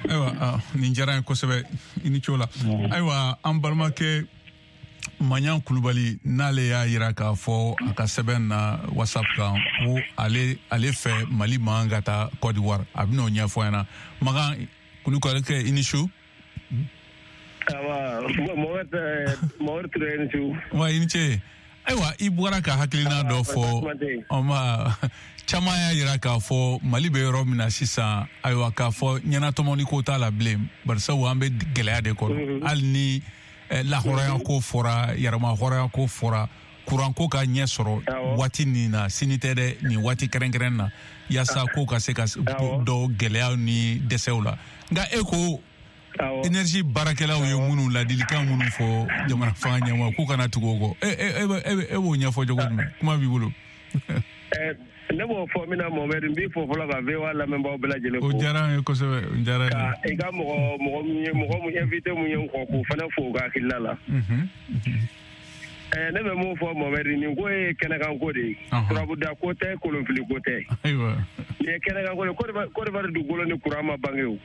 Ayiwa nin diyara n ye kosɛbɛ i ni ce o la. Ayiwa an balimakɛ Maɲan Kulubali n'ale y'a yira k'a fɔ a ka sɛbɛn na WhatsApp kan ko ale ale fɛ Mali man ka taa Côte d'Ivoire a bɛn'o ɲɛfɔ an ɲɛna. Makan Kulubali kɛ i ni su. Awa Mohamed Mohamed Ture i ni su. Wa i ni ce. Ayiwa i bɔra ka hakilina dɔ fɔ ɔma caman y'a yira k'a fɔ Mali bɛ yɔrɔ min na sisan ayiwa k'a fɔ ɲɛnatɔmɔni ko t'a la bilen barisabu an bɛ gɛlɛya de kɔnɔ hali ni lahɔrɔnya ko fɔra yɛrɛma hɔrɔnya ko fɔra kuranko ka ɲɛ sɔrɔ waati nin na sini tɛ dɛ nin waati kɛrɛnkɛrɛn na yaasa ko ka se ka dɔ gɛlɛyaw ni dɛsɛw la nka e ko énergie baarakɛlaw ye minnu ladilikan minnu fɔ jamana fanga ɲɛmɔgɔ k'u kana tugu o kɔ e e e b'o ɲɛfɔ cogo jumɛn kuma b'i bolo. Ne b'o fɔ min na Mohamed n b'i fo fɔlɔ ka V O A lamɛnbaaw bɛɛ lajɛlen fo. O diyara an ye kosɛbɛ o diyara an ye. Ka i ka mɔgɔ mɔgɔ min ye mɔgɔ min invité mun ye n kɔ k'o fana fo u ka hakilina la. Ɛɛ ne bɛ mun fɔ Mohamed nin ko ye kɛnɛkan ko de ye. Turabuda ko tɛ kolonfili ko tɛ. Ayiwa. Nin ye kɛnɛkan ko de ye Côte d'Ivoire dugukolo ni kuran ma bange o.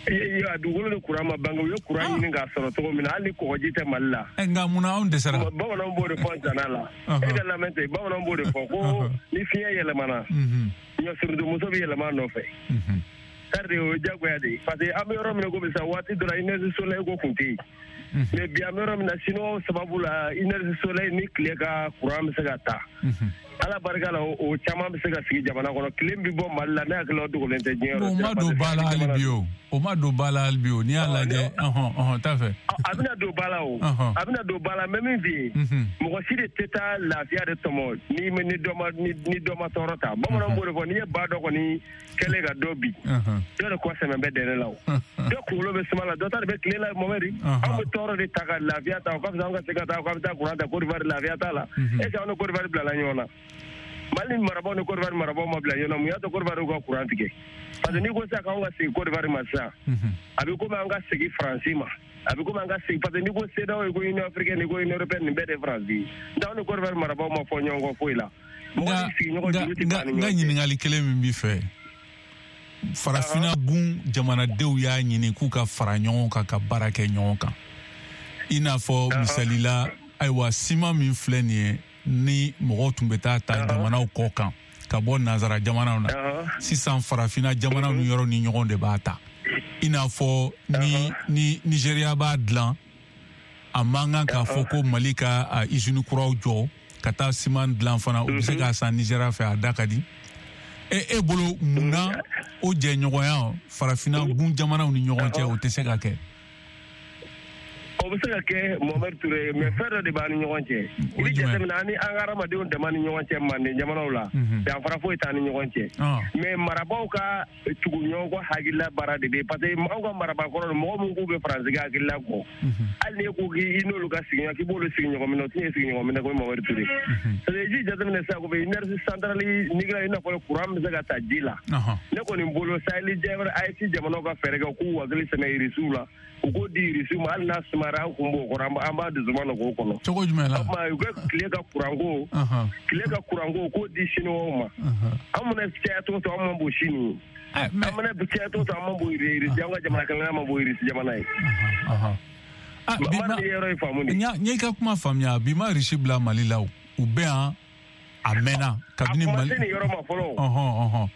A dugukolo ni kuran ma bange u ye kuran ɲini k'a sɔrɔ cogo min na hali ni kɔgɔji tɛ Mali la. Nka munna anw dɛsɛra. Bamananw b'o de fɔ zana la. E ka lamɛn ten bamananw b'o de fɔ ko ni fiɲɛ yɛlɛmana ɲɔsurudumuso bɛ yɛlɛma a nɔfɛ. C'est-à-dire o ye diyagoya de ye parce que an bɛ yɔrɔ min na komi sisan waati dɔ la énergie solaire ko kun tɛ yen. Mais bi an bɛ yɔrɔ min na Siniwaw sababu la énergie solaire ni tile ka kuran bɛ se ka ta. Ala barika la o caman bɛ se ka sigi jamana kɔnɔ tile bɛ bɔ Mali la ne hakili la o dogolen tɛ diɲɛ yɔrɔ. O ma don ba la hali bi o O ma don ba la hali bi o, n'i y'a lajɛ, ɔhɔn ɔhɔn t'a fɛ. A bɛna don ba la o, a bɛna don ba la, mais min f'i ye, mɔgɔ si de tɛ taa lafiya de tɔmɔ ni ni dɔ ma ni dɔ ma tɔɔrɔ ta. Bamananw b'o de fɔ, n'i ye ba dɔ kɔni kɛlen ka dɔ bi, dɔ de kɔ sɛmɛ bɛ dɛnɛ la o. Dɔ kunkolo bɛ suma la, dɔ ta de bɛ tile la Mohamed. Anw bɛ tɔɔrɔ de ta ka lafiya ta, o ka fisa an ka se ka taa k'an bɛ taa kuran ta Côte d'Ivoire, lafiya t'a la. Est ce que anw ni Côte d'Ivoire bilala ɲɔgɔn na? Mali marabaaw ni Côte d'Ivoire marabaaw ma bila ɲɔgɔn na, mun y'a to Côte d'Ivoire y'u ka kuran tigɛ? Parce que n'i ko sisan k'anw ka segin Côte d'Ivoire ma sisan, a bɛ komi an ka segin Faransi ma, a bɛ komi an ka segin, parce que n'i ko CEDEAO, i ko Union africaine, i ko Union européenne, nin bɛɛ de ye Faransi ye. Nka anw ni Côte d'Ivoire marabaaw ma fɔ ɲɔgɔn kɔ foyi la. Mɔgɔ ni sigiɲɔgɔn juru tɛ ban ni ɲɔgɔn cɛ. N ka ɲininkali kelen min b'i fɛ, farafinna gun jamanadenw y'a ɲini k'u ka fara ɲɔgɔn kan ka baara kɛ ɲɔgɔn kan. I n'a fɔ misali la, ayiwa siman min filɛ nin ye, ni mɔgɔw tun bɛ taa ta jamanaw kɔ kan ka bɔ nansara jamanaw na, sisan farafinna jamanaw ni yɔrɔ ni ɲɔgɔn de b'a ta. I n'a fɔ ni ni Nigéria b'a dilan, a man kan k'a fɔ ko Mali ka usine kuraw jɔ ka taa siman dilan fana, u bɛ se k'a san Nigéria fɛ, a da ka di. E e bolo mun na o jɛɲɔgɔnya farafinna gun jamanaw ni ɲɔgɔn cɛ o tɛ se ka kɛ? O bɛ se ka kɛ Mohamed Touré, mais fɛn dɔ de b'an ni ɲɔgɔn cɛ. I bɛ jateminɛ an ni an ka hadamadenw dama ni ɲɔgɔn cɛ manden jamanaw la, danfara foyi t'an ni ɲɔgɔn cɛ. Mais marabaaw ka tugu ɲɔgɔn kɔ hakilila baara de bɛ yen, parce que anw ka marabaakɔrɔ mɔgɔ min k'u bɛ Faransi ka hakilila kɔ, hali n'e ko k'i n'olu ka sigiɲɔgɔn k'i b'olu sigiɲɔgɔn minɛ, o tɛ sigiɲɔgɔn minɛ ko Mohamed Touré. Parce que i jateminɛ sisan ko énergie centrale nucléaire, i n'a fɔ courant bɛ se ka ta ji la. Ne kɔni bolo Sahel A E S jamanaw ka fɛɛrɛ kɛ k'u hakili sɛmɛ Irisiw la, u k'o di Irisiw ma, hali n'a sumara an kun b'o kɔrɔ, an b'a dusuma nɔ k'o kɔnɔ. Cogo jumɛn la? O tuma u ka tile ka kuranko, tile ka kuranko k'o di Siniwaw ma. An mana caya cogo cogo, an man bon Sini ye. An mana caya cogo cogo, an man bon Irisi, an ka jamana kelenna man bon Irisi jamana ye. Bi ma yɔrɔ in faamu de. N y'i ka kuma faamuya, bi ma Irisi bila Mali la o, u bɛ yan a mɛnna kabini Mali. A kuma se nin yɔrɔ ma fɔlɔ. Ɔhɔn ɔhɔn.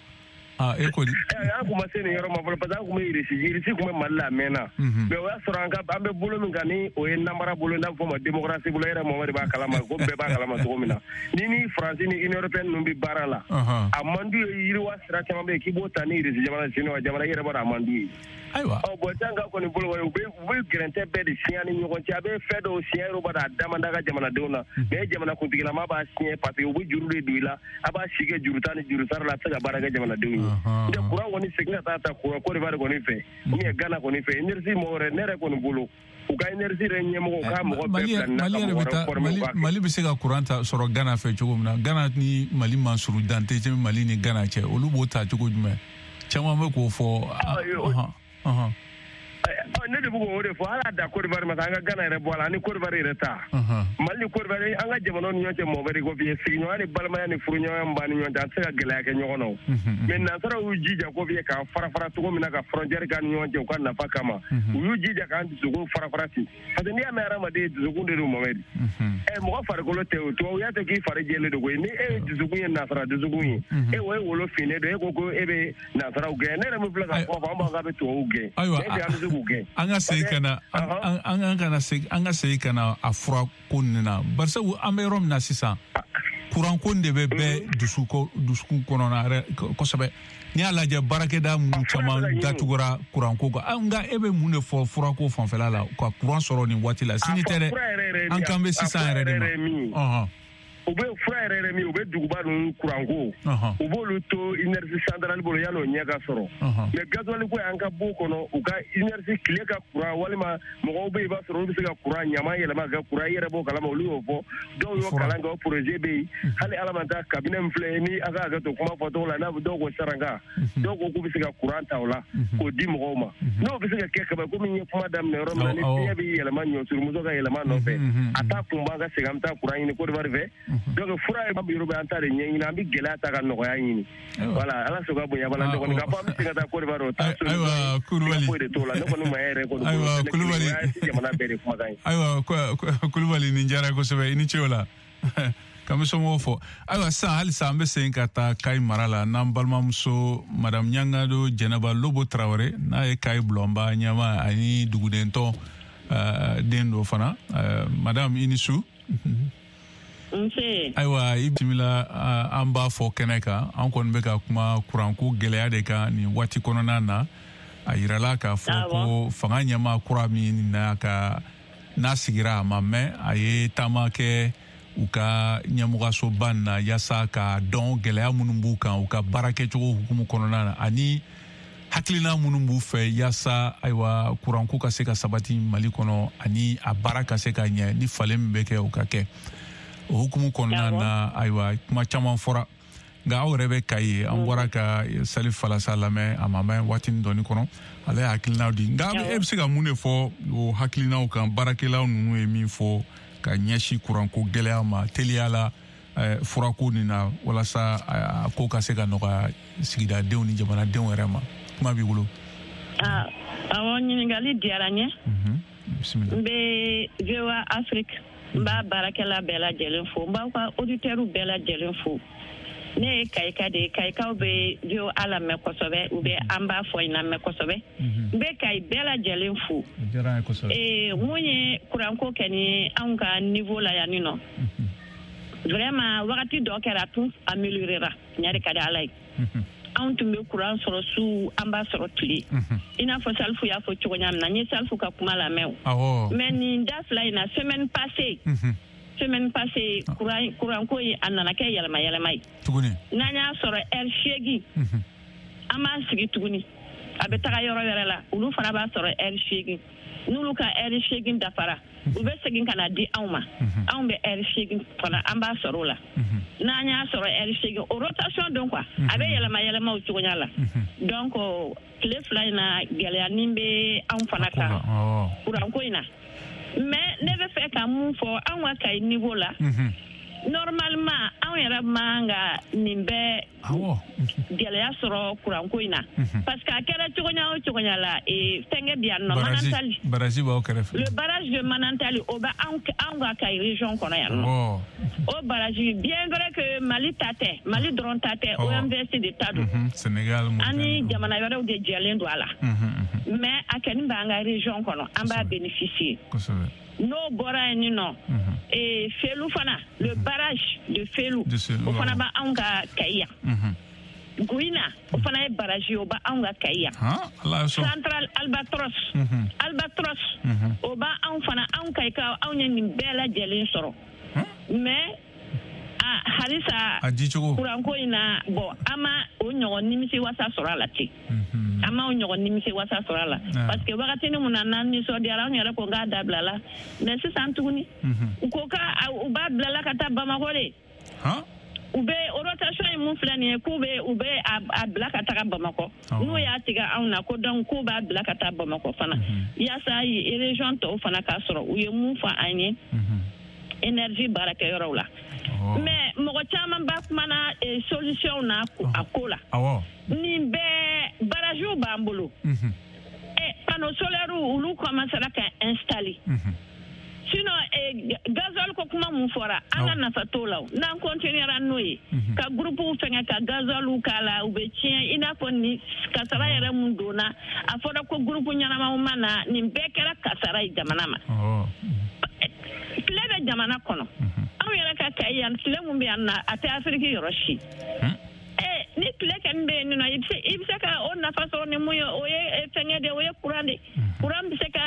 Ah, e ko di? An kun ma se nin yɔrɔ ma fɔlɔ, parce que an kun bɛ Irisi, Irisi kun bɛ Mali la a mɛnna. Mais o y'a sɔrɔ an ka an bɛ bolo min kan ni o ye namara bolo, n'a bɛ fɔ o ma démocratie bolo, e yɛrɛ Mohamed b'a kalama ko bɛɛ b'a kalama cogo min na. Ni ni Faransi ni Union européenne ninnu bɛ baara la, a man d'u ye, yiriwa sira caman bɛ yen k'i b'o ta ni Irisi jamana, Siniwa jamana, i yɛrɛ b'a dɔn a man d'u ye. Ayiwa. Ɔ bon sisan ka kɔni bolo u bɛ u bɛ gɛrɛntɛ bɛɛ de siɲɛ ni ɲɔgɔn cɛ, a bɛ fɛn dɔw siɲɛ yɔrɔ b'a dɔn a da man d'a ka jamanadenw na, mais jamanakuntigilama b'a siɲɛ parce que u bɛ juru de don i la, a b'a si kɛ juru ta ni juru sara la, a tɛ se ka baara kɛ jamanadenw ye. N tɛ kuran kɔni segin ka taa ta kuran Côte d'Ivoire kɔni fɛ, ou bien Ghana kɔni fɛ, énergie mɔgɔ wɛrɛ ne yɛrɛ kɔni bolo, u ka énergie yɛrɛ ɲɛmɔgɔw k'a mɔgɔ bɛɛ bila nin na ka mɔgɔ wɛrɛ former u k'a kɛ. Mali bɛ se ka kuran ta sɔrɔ Ghana fɛ cogo min na, Ghana ni Mali man surun, dan tɛ Mali ni Ghana cɛ, olu b'o ta cogo jumɛn? Caman bɛ k'o fɔ. Ne de bɛ k'o de fɔ, hali a da Côte d'Ivoire ma sa, an ka Ghana yɛrɛ bɔ a la, ani Côte d'Ivoire yɛrɛ ta. Mali ni Côte d'Ivoire, an ka jamanaw ni ɲɔgɔn cɛ Mohamed ko bi sigiɲɔgɔnya ni balimaya ni furuɲɔgɔnya min b'an ni ɲɔgɔn cɛ, an tɛ se ka gɛlɛya kɛ ɲɔgɔn na o. Mais nansaraw y'u jija ko bi k'an fara fara cogo min na ka frontière k'an ni ɲɔgɔn cɛ u ka nafa kama, u y'u jija k'an dusukun fara fara ten. Parce que n'i y'a mɛn hadamaden dusukun de don Mohamed. Ɛ mɔgɔ farikolo tɛ o, tubabuya tɛ k'i fari jɛlen don koyi, ni e ye dusukun ye nansara dusukun ye, e o ye wolo finnen don, e ko ko e bɛ nansaraw gɛn, ne yɛrɛ min filɛ ka kuma fɔ, an b'a fɔ k'a bɛ tubabuw gɛn. Ayiwa, est-ce que an bɛ se k'u gɛn? An ka segin ka na, an an kana segin, an ka segin ka na a fura ko nin na, barisabu an bɛ yɔrɔ min na sisan, kuran ko de bɛ bɛɛ dusukun dusukun kɔnɔna yɛrɛ kosɛbɛ. N'i y'a lajɛ baarakɛda minnu caman datugura kuranko kan, nka e bɛ mun de fɔ furako fanfɛla la ka kuran sɔrɔ nin waati la? Sini tɛ dɛ, an kan bɛ sisan yɛrɛ de ma. U bɛ fura yɛrɛ yɛrɛ min, u bɛ duguba ninnu kuranko, u b'olu to énergie centrale bolo yan'o ɲɛ ka sɔrɔ. Mais gasoil ko y'an ka b'o kɔnɔ, u ka énergie tile ka kuran, walima mɔgɔw bɛ yen i b'a sɔrɔ olu bɛ se ka kuran ɲama yɛlɛma ka kɛ kuran, i yɛrɛ b'o kalama, olu y'o fɔ, dɔw y'o kalan kɛ, o projet bɛ yen. Hali ala ma taa kabinɛ min filɛ ni a ka hakɛ to kuma fɔcogo la, n'a dɔw ko saranka, dɔw ko k'u bɛ se ka kuran ta o la k'o di mɔgɔw ma. N'o bɛ se ka kɛ kaban, komi n ye kuma daminɛ yɔrɔ min na, ni fiɲɛ bɛ yɛlɛma ɲɔsurumuso ka yɛlɛma nɔfɛ, a t'a kun b'an ka segin an bɛ taa kuran ɲini Côte d'Ivoire fɛ. Donc fura ye yɔrɔ bɛ an ta de ɲɛɲini, an bɛ gɛlɛya ta ka nɔgɔya ɲini. Voilà, ala sɔn ka bonya bala, ne kɔni k'a fɔ an bɛ se ka taa Côte d'Ivoire, o t'a solution ye. Ayiwa, foyi de t'o la, ne kɔni ma yɛrɛ kɔni bolo. Ayiwa, Kulubali, jamana bɛɛ de kumakan ye. Ayiwa, Kulubali, nin diyara kosɛbɛ, i ni ce o la. K'an bɛ somɔgɔw fɔ. Ayiwa, sisan halisa an bɛ segin ka taa Kayi mara la n'an balimamuso Madame Ɲangado Jɛnɛba Lobo Tarawele, n'a ye Kayi bulonba ɲɛmaa ani dugudentɔn den dɔ fana. Madame, i ni su. Nse. Ayiwa, i bisimila, an b'a fɔ kɛnɛ kan, an kɔni bɛ ka kuma kuranko gɛlɛya de kan nin waati kɔnɔna na. A yirala k'a fɔ ko fanga ɲɛmaa kura min n'a ka n'a sigira a ma mɛn, a ye taama kɛ u ka ɲɛmɔgɔsoba na yaasa ka dɔn gɛlɛya minnu b'u kan u ka baara kɛcogo hukumu kɔnɔna na, ani hakilina minnu b'u fɛ yaasa ayiwa kuranko ka se ka sabati Mali kɔnɔ ani a baara ka se ka ɲɛ, ni falen min bɛ kɛ o ka kɛ. O hukumu kɔnɔna na ayiwa kuma caman fɔra, nka aw yɛrɛ bɛ Kayi, an bɔra ka Salif Falasa lamɛn a ma mɛn waatinin dɔɔni kɔnɔ, ale ye hakilinaw di. Nka e bɛ se ka mun de fɔ o hakilinaw kan, baarakɛlaw ninnu ye min fɔ ka ɲɛsin kuranko gɛlɛya ma teliya la furako nin na, walasa a ko ka se ka nɔgɔya sigidadenw ni jamanadenw yɛrɛ ma? Kuma b'i bolo. Awɔ, ɲininkali diyara n ye. N bɛ V O A Afrique, n b'a baarakɛla bɛɛ lajɛlen fo, n b'aw ka auditeurs bɛɛ lajɛlen fo. Ne ye Kayika de ye, Kayikaw bɛ V O A lamɛn kosɛbɛ, u bɛ an b'a fɔ in lamɛn kosɛbɛ. N bɛ Kayi bɛɛ lajɛlen fo. Ee mun ye kuranko kɛ ni anw ka niveau la yan nɔ, vraiment wagati dɔ kɛra a tun améliorera, ɲa de ka di Ala ye. Anw tun bɛ kuran sɔrɔ su, an b'a sɔrɔ tile. I n'a fɔ Salifu y'a fɔ cogo min na, n ye Salifu ka kuma lamɛn o. Mais nin da fila in na, semaine passée semaine passée kuran kuranko in a nana kɛ yɛlɛma yɛlɛma ye. Tuguni. N'an y'a sɔrɔ heure seegin, an b'an sigi tuguni, a bɛ taga yɔrɔ wɛrɛ la, olu fana b'a sɔrɔ heure seegin. N'olu ka heure seegin dafara, u bɛ segin ka na di anw ma, anw bɛ heure seegin fana an b'a sɔrɔ o la. N'an y'a sɔrɔ heure seegin, o rotation don quoi, a bɛ yɛlɛma yɛlɛma o cogoya la. Donc tile fila in na gɛlɛya ni bɛ anw fana kan kuranko in na. Mais ne bɛ fɛ ka mun fɔ anw ka Kayi niveau la, normalement anw yɛrɛ man ka nin bɛɛ gɛlɛya sɔrɔ kuranko in na, parce que a kɛra cogoya o cogoya la, fɛnkɛ bi yan nɔ, Manantali, barrage b'aw kɛrɛfɛ, le barrage de Manantali, o bɛ anw ka Kayi région kɔnɔ yan nɔ. O barrage, bien vrai que Mali ta tɛ, Mali dɔrɔn ta tɛ, O M V S de ta don, Sénégal, ani jamana wɛrɛw de jɛlen don a la, mais a kɛni b'an ka région kɔnɔ, an b'a bénéficier. N'o bɔra yen nɔ, Felu fana, le barrage de Felu, o fana b'anw ka Kayi yan. Gouina, o fana ye barrage ye, o b'anw ka Kayi yan. Central Albatros, Albatros, o b'anw fana, anw Kayikaw, anw ye nin bɛɛ lajɛlen sɔrɔ. Mais halisa kuranko in na, bon, an ma o ɲɔgɔn nimisi wasa sɔrɔ a la ten. An ma o ɲɔgɔn nimisi wasa sɔrɔ a la, parce que wagatinin mun na n'an nisɔndiyara, anw yɛrɛ ko k'a dabila la, mais sisan tuguni u ko k'a u b'a bila la ka taa Bamakɔ de. U bɛ rotation in mun filɛ nin ye, k'u bɛ u bɛ a bila ka taga Bamakɔ. N'u y'a tigɛ anw na ko donc k'u b'a bila ka taa Bamakɔ fana, yaasa région tɔw fana k'a sɔrɔ. U ye mun fɔ an ye énergie baarakɛyɔrɔw la. Mais mɔgɔ caman b'a kumana solution na a ko la. Nin bɛɛ barragew b'an bolo. Panneau solaires olu commencera ka installer. Sinon gasoil ko kuma mun fɔra, an ka nafa t'o la. N'an continuera n'o ye, ka groupe fɛngɛ ka gasoil k'a la, u bɛ tiɲɛ. I n'a fɔ ni kasara yɛrɛ mun donna, a fɔra ko groupe ɲɛnamaw ma na, nin bɛɛ kɛra kasara ye jamana ma. Tile bɛ jamana kɔnɔ. Anw yɛrɛ ka Kayi yan, tile mun bɛ yan na, a tɛ Afiriki yɔrɔ si. Ni tile kɛni bɛ yen nɔ, i bɛ se i bɛ se ka o nafa sɔrɔ ni mun ye, o ye fɛngɛ de, o ye kuran de. Kuran bɛ se ka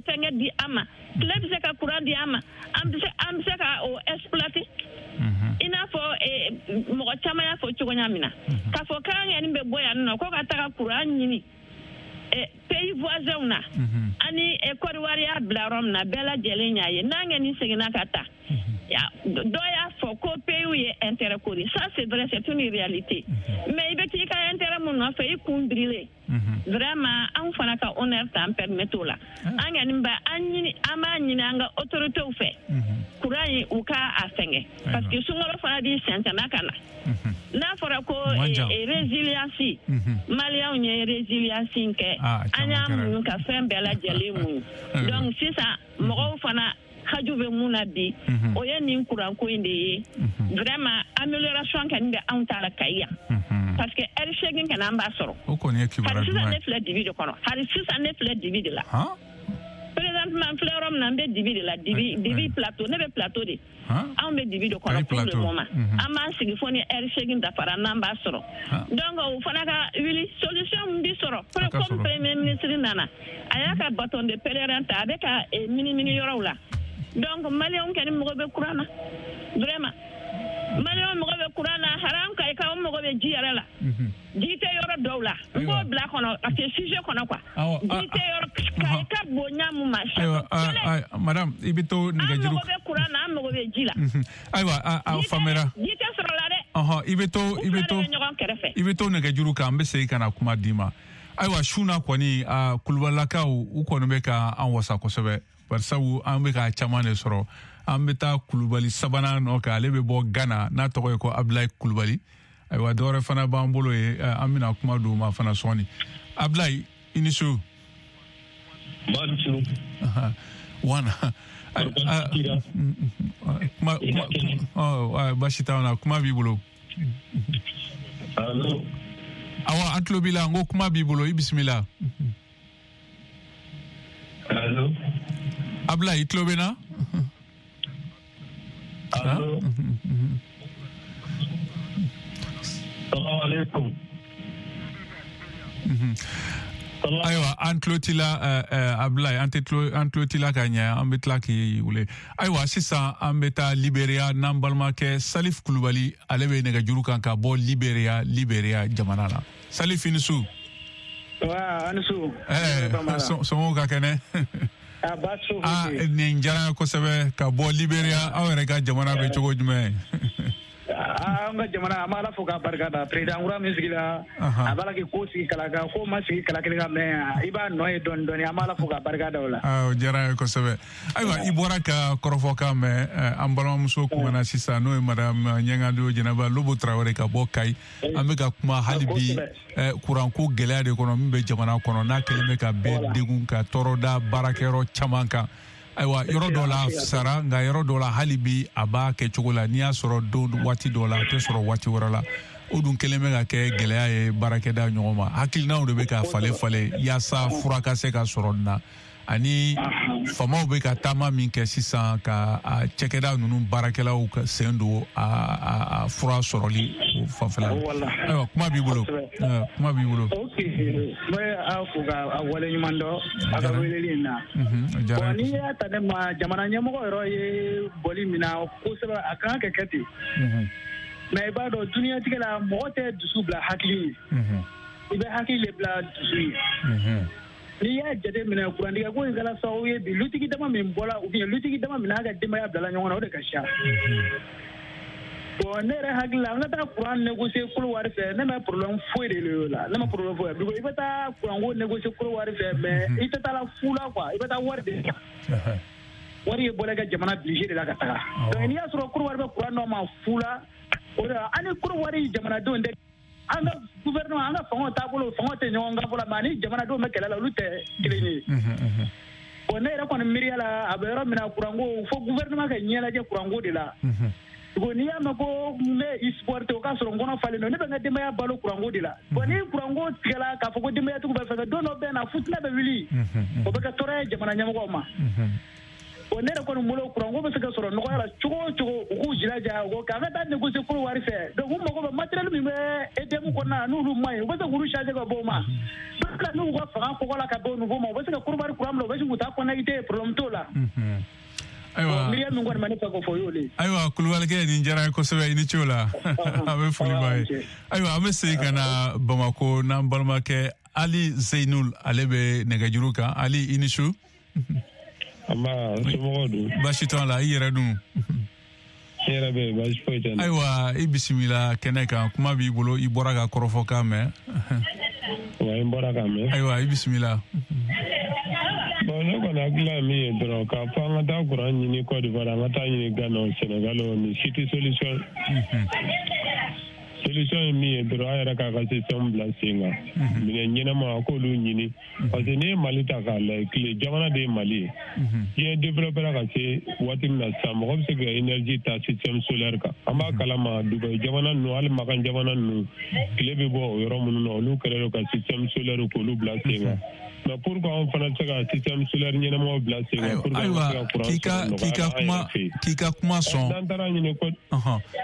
fɛngɛ di an ma, tile bɛ se ka kuran di an ma, an bɛ se an bɛ se ka o exploiter. I n'a fɔ mɔgɔ caman y'a fɔ cogoya min na, k'a fɔ k'an kɔni bɛ bɔ yan nɔ ko ka taga kuran ɲini pays voisins na, ani Côte d'Ivoire y'a bila yɔrɔ min na, bɛɛ lajɛlen y'a ye. N'an kɔni seginna ka taa, dɔ y'a fɔ ko pays ye intérêt ko de, ça c'est vrai, c'est une réalité. Mais i bɛ t'i ka intérêt mun nɔfɛ, i kun birilen. Vraiment anw fana ka honneur t'an permettre o la. An kɔni b'a an ɲini, an b'a ɲini an ka autorités fɛ, courant in u ka a fɛngɛ, parce que sunkalo fana b'i sɛnsɛnna ka na. N'a fɔra ko résilience, Maliyɛnw ye résilience in kɛ, an y'a muɲu ka fɛn bɛɛ lajɛlen muɲu. Donc sisan mɔgɔw fana haju bɛ mun na bi, o ye nin kuranko in de ye. Vraiment amélioration kɛni bɛ anw ta la Kayi yan, parce que heure seegin kɛnɛ an b'a sɔrɔ. O kɔni ye kibaruya duman ye. Hali sisan ne filɛ dibi de kɔnɔ, hali sisan ne filɛ dibi de la. Présentement Présentement n filɛ yɔrɔ min na, n bɛ dibi de la, dibi dibi plateau, ne bɛ plateau de. Anw bɛ dibi de kɔnɔ pour le moment. An b'an sigi fo ni heure seegin dafara n'an b'a sɔrɔ. Donc o fana ka wuli, solution min bi sɔrɔ comme premier ministre nana, a y'a ka bâton de pèlerin ta, a bɛ ka minimini yɔrɔw la. Donc maliyɛnw kɛni mago bɛ courant na, vraiment. Maliyɛnw mago bɛ courant na, haram ka i ka mago bɛ ji yɛrɛ la. Ji tɛ yɔrɔ dɔw la. N b'o bila kɔnɔ parce que sujet kɔnɔ quoi. Ji tɛ yɔrɔ ka i ka bonya mun ma. Ayiwa, madame, i bɛ to nɛgɛjuru. An mago bɛ courant na, an mago bɛ ji la. Ayiwa, a faamuyara. Ji tɛ sɔrɔ la dɛ. Ɔhɔn, i bɛ to i bɛ to ɲɔgɔn kɛrɛfɛ. I bɛ to nɛgɛjuru kan, an bɛ segin ka na kuma d'i ma. Ayiwa, su na kɔni, kulubalilakaw u kɔni bɛ ka an wasa kosɛbɛ. Barisabu an bɛ ka caman de sɔrɔ. An bɛ taa Kulubali sabanan nɔ kan, ale bɛ bɔ Ghana, n'a tɔgɔ ye ko Abulayi Kulubali. Ayiwa, dɔwɛrɛ fana b'an bolo ye, an bɛna kuma d'o ma fana sɔɔni. Abulayi, i ni su. Ba ni su. Wana. Kuma kuma baasi t'anw na, kuma b'i bolo. Allo. Awa, an tulo b'i la, n ko kuma b'i bolo, i bisimila. Allo. Abulayi, i tulo bɛ n na? Allo. Salamu alaikum. Ayiwa, an tulo t'i la, Abulayi, an tɛ tulo an tulo t'i la ka ɲɛ, an bɛ tila k'i wele. Ayiwa, sisan an bɛ taa Liberia n'an balimakɛ Salif Kulubali, ale bɛ nɛgɛjuru kan ka bɔ Liberia, Liberia jamana la. Salif, i ni su. Wa, an ni su. Ɛɛ, somɔgɔw ka kɛnɛ? Ah, nin diyara n ye kosɛbɛ ka bɔ Liberia, aw yɛrɛ ka jamana bɛ cogo jumɛn? An ka jamana, an b'a la fo k'a barika da. Président kura min sigira, a b'a la k'i ko sigi kala kan, ko ma sigi kala kelen kan, mais i b'a nɔ ye dɔɔni dɔɔni, an b'a la fo k'a barika da o la. O diyara n ye kosɛbɛ. Ayiwa, i bɔra ka kɔrɔfɔkan mɛn, an balimamuso kumana sisan, n'o ye madame Ɲɛngado Jɛnɛba Lobo Tarawele ka bɔ Kayi. An bɛ ka kuma hali bi kuranko gɛlɛya de kɔnɔ min bɛ jamana kɔnɔ, n'a kɛlen bɛ ka bɛɛ degun ka tɔɔrɔ da baarakɛyɔrɔ caman kan. Ayiwa, yɔrɔ dɔ la sara, nka yɔrɔ dɔ la hali bi a b'a kɛ cogo la, n'i y'a sɔrɔ don waati dɔ la, a tɛ sɔrɔ waati wɛrɛ la. O dun kɛlen bɛ ka kɛ gɛlɛya ye baarakɛda ɲɔgɔn ma. Hakilinaw de bɛ ka falen falen yaasa fura ka se ka sɔrɔ nin na. Ani faamaw bɛ ka taama min kɛ sisan ka a cakɛda ninnu baarakɛlaw ka sen don a a fura sɔrɔli o fanfɛla la. Ayiwa, kuma b'i bolo. Kuma b'i bolo. Ok, n bɛ aw fo ka waleɲuman dɔn a ka weleli in na. Bon, n'i y'a ta ne ma, jamana ɲɛmɔgɔ yɛrɛ ye bɔli min na kosɛbɛ, a kan ka kɛ ten. Mais i b'a dɔn duniɲatigɛ la, mɔgɔ tɛ dusu bila hakili ye. I bɛ hakili de bila dusu ye. N'i y'a jateminɛ, kurantigɛ ko in kɛra sababu ye bi, lutigi dama min bɔra ou bien lutigi dama min n'a ka denbaya bilala ɲɔgɔn na, o de ka siya. Bon, ne yɛrɛ hakili la, an ka taa kuran négocier Kɔdiwari fɛ, ne ma problème foyi de l'o la, ne ma problème foyi. I bɛ taa kuranko négocier Kɔdiwari fɛ, mais i tɛ taa la fu la quoi, i bɛ taa wari de. Wari ye bɔra i ka jamana budget de la ka taga. Donc n'i y'a sɔrɔ Kɔdiwari bɛ kuran dɔ ma fu la, o de la an ni Kɔdiwari jamanadenw tɛ. An ka gouvernement, an ka fangaw taabolo, fangaw tɛ ɲɔgɔn kan fɔlɔ, mais ani jamanadenw bɛ kɛlɛ la, olu tɛ kelen ye. Bon, ne yɛrɛ kɔni miiriya la, a bɛ yɔrɔ min na, kuranko fo gouvernement ka ɲɛlajɛ kuranko de la. Bon, n'i y'a mɛn ko n bɛ i supporter, o k'a sɔrɔ n kɔnɔ falen don, ne bɛ n ka denbaya balo kuranko de la. Bon, ni kuranko tigɛla k'a fɔ ko denbayatigiw bɛ fɛn kɛ, don dɔ bɛ na futinɛ bɛ wuli, o bɛ kɛ tɔɔrɔ ye jamana ɲɛmɔgɔw ma. Bon, ne yɛrɛ kɔni bolo, kuranko bɛ se ka sɔrɔ nɔgɔya la cogo o cogo, u k'u jilaja o k'an ka taa négocier Kɔdiwari fɛ. Donc u mago bɛ matériel min bɛ E D M kɔnɔna na, n'olu ma ɲi, u bɛ se k'olu changer ka bɔ o ma. Donc n'u ka fanga kɔgɔ la ka bɔ o niveau ma, u bɛ se ka Kɔdiwari kuran bila, u bɛ se k'u ta connecter, problème t'o la. Ayiwa, miiriya min kɔni bɛ ne fɛ k'o fɔ, o y'o de ye. Ayiwa, Kulubalikɛ, nin diyara n ye kosɛbɛ, i ni ce o la. An bɛ foli b'a ye. Ayiwa, an bɛ segin ka na Bamakɔ n'an balimakɛ Ali Zeyinul, ale bɛ nɛgɛjuru kan. Ali, i ni su. Nba, somɔgɔw dun? Baasi t'an la, i yɛrɛ dun? Ne yɛrɛ bɛ yen, baasi foyi tɛ n na. Ayiwa, i bisimila kɛnɛ kan, kuma b'i bolo, i bɔra ka kɔrɔfɔkan mɛn. Wa, n bɔra ka mɛn. Ayiwa, i bisimila. Bon, ne kɔni hakilila ye min ye dɔrɔn, k'a fɔ an ka taa kuran ɲini Côte d'Ivoire, an ka taa ɲini Ghana, Sénégal, nin si tɛ solution. Solution ye min ye dɔrɔn, an yɛrɛ k'a ka système bila sen kan. Minɛn ɲɛnama, a k'olu ɲini. Parce que n'i ye Mali ta k'a lajɛ, tile jamana de ye Mali ye. Diɲɛ développé ka se waati min na sisan, mɔgɔ bɛ se ka énergie ta système solaire kan. An b'a kalama Dubaï jamana ninnu, hali Makan jamana ninnu, tile bɛ bɔ o yɔrɔ minnu na, olu kɛlen don ka système solaire k'olu bila sen kan. Mais pourquoi anw fana tɛ se ka système solaire ɲɛnamaw bila sen kan pour que an ka se ka courant sɔrɔ nɔgɔya la an yɛrɛ fɛ yen? K'i ka kuma sɔn. N'an taara ɲini ko.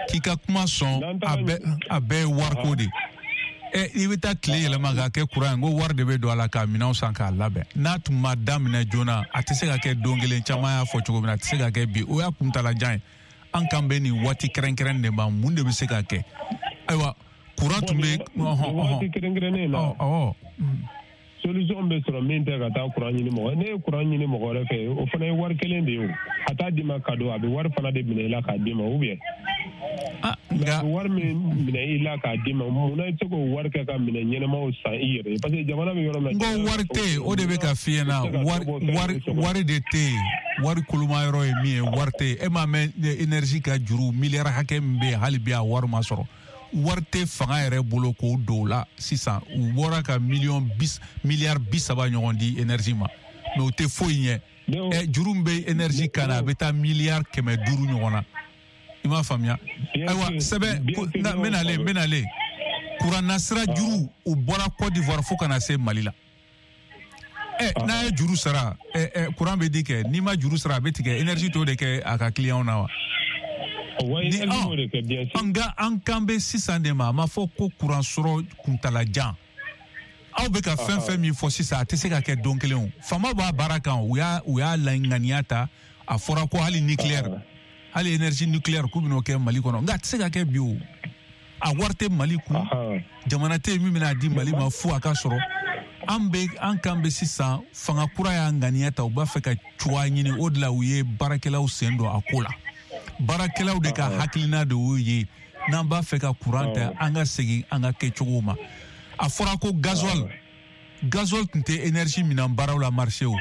K'i ka kuma sɔn, a bɛɛ a bɛɛ ye wariko de ye. Ɛ i bɛ taa tile yɛlɛma k'a kɛ courant ye, n ko wari de bɛ don a la k'a minɛnw san k'a labɛn. N'a tun ma daminɛ joona, a tɛ se ka kɛ don kelen, caman y'a fɔ cogo min na, a tɛ se ka kɛ bi. O y'a kuntalajan ye. An kan bɛ nin waati kɛrɛnkɛrɛn de ma, mun de bɛ se ka kɛ? Ayiwa, courant tun bɛ. Waati kɛrɛnkɛrɛnnen na. Awɔ. Solution bɛ sɔrɔ min tɛ ka taa courant ɲini mɔgɔ. Ne ye courant ɲini mɔgɔ wɛrɛ fɛ, o fana ye wari kelen de ye o. A t'a d'i ma cadeau, a bɛ wari fana de minɛ i la k'a d'i ma, ou bien. Ah, nka. Wari min minɛ i la k'a d'i ma, munna i tɛ se k'o wari kɛ ka minɛ ɲɛnamaw san i yɛrɛ ye? Parce que jamana bɛ yɔrɔ min na. N ko wari tɛ yen, o de bɛ ka f'i ɲɛna. Wari wari wari de tɛ yen. Wari koloma yɔrɔ ye min ye, wari tɛ yen. E m'a mɛn énergie ka juru miliyari hakɛ min bɛ yen, hali bi a wari ma sɔrɔ. Wari tɛ fanga yɛrɛ bolo k'o don o la sisan. U bɔra ka miliyɔn bis miliyari bi saba ɲɔgɔn di énergie ma, mais o tɛ foyi ɲɛ. Ɛ juru min bɛ énergie kan na, a bɛ taa miliyari kɛmɛ duuru ɲɔgɔn na. I m'a faamuya? Ayiwa, sɛbɛn n bɛ nalen n bɛ nalen kuran nasira juru, o bɔra Côte d'Ivoire fo ka na se Mali la. Ɛ n'a ye juru sara, ɛ ɛ courant bɛ di kɛ, n'i ma juru sara a bɛ tigɛ. Énergie t'o de kɛ a ka client na wa? Ni nka an kan bɛ sisan de ma, a ma fɔ ko kuran sɔrɔ kuntalajan. Aw bɛ ka fɛn fɛn min fɔ sisan, a tɛ se ka kɛ don kelen o. Faamaw b'a baara kan, u y'a u y'a laŋaniya ta. A fɔra ko hali nucléaire, hali énergie nucléaire k'u bɛn'o kɛ Mali kɔnɔ, nka a tɛ se ka kɛ bi o. A wari tɛ Mali kun, jamana tɛ yen min bɛna di Mali ma fo a ka sɔrɔ. An bɛ an kan bɛ sisan, fanga kura y'a ŋaniya ta, u b'a fɛ ka cogoya ɲini, o de la u ye baarakɛlaw sen don a ko la. Baarakɛlaw de ka hakilina de y'o ye, n'an b'a fɛ ka courant ta, an ka segin an ka kɛcogo ma. A fɔra ko gasoil, gasoil tun tɛ énergie minɛn baaraw la marché o.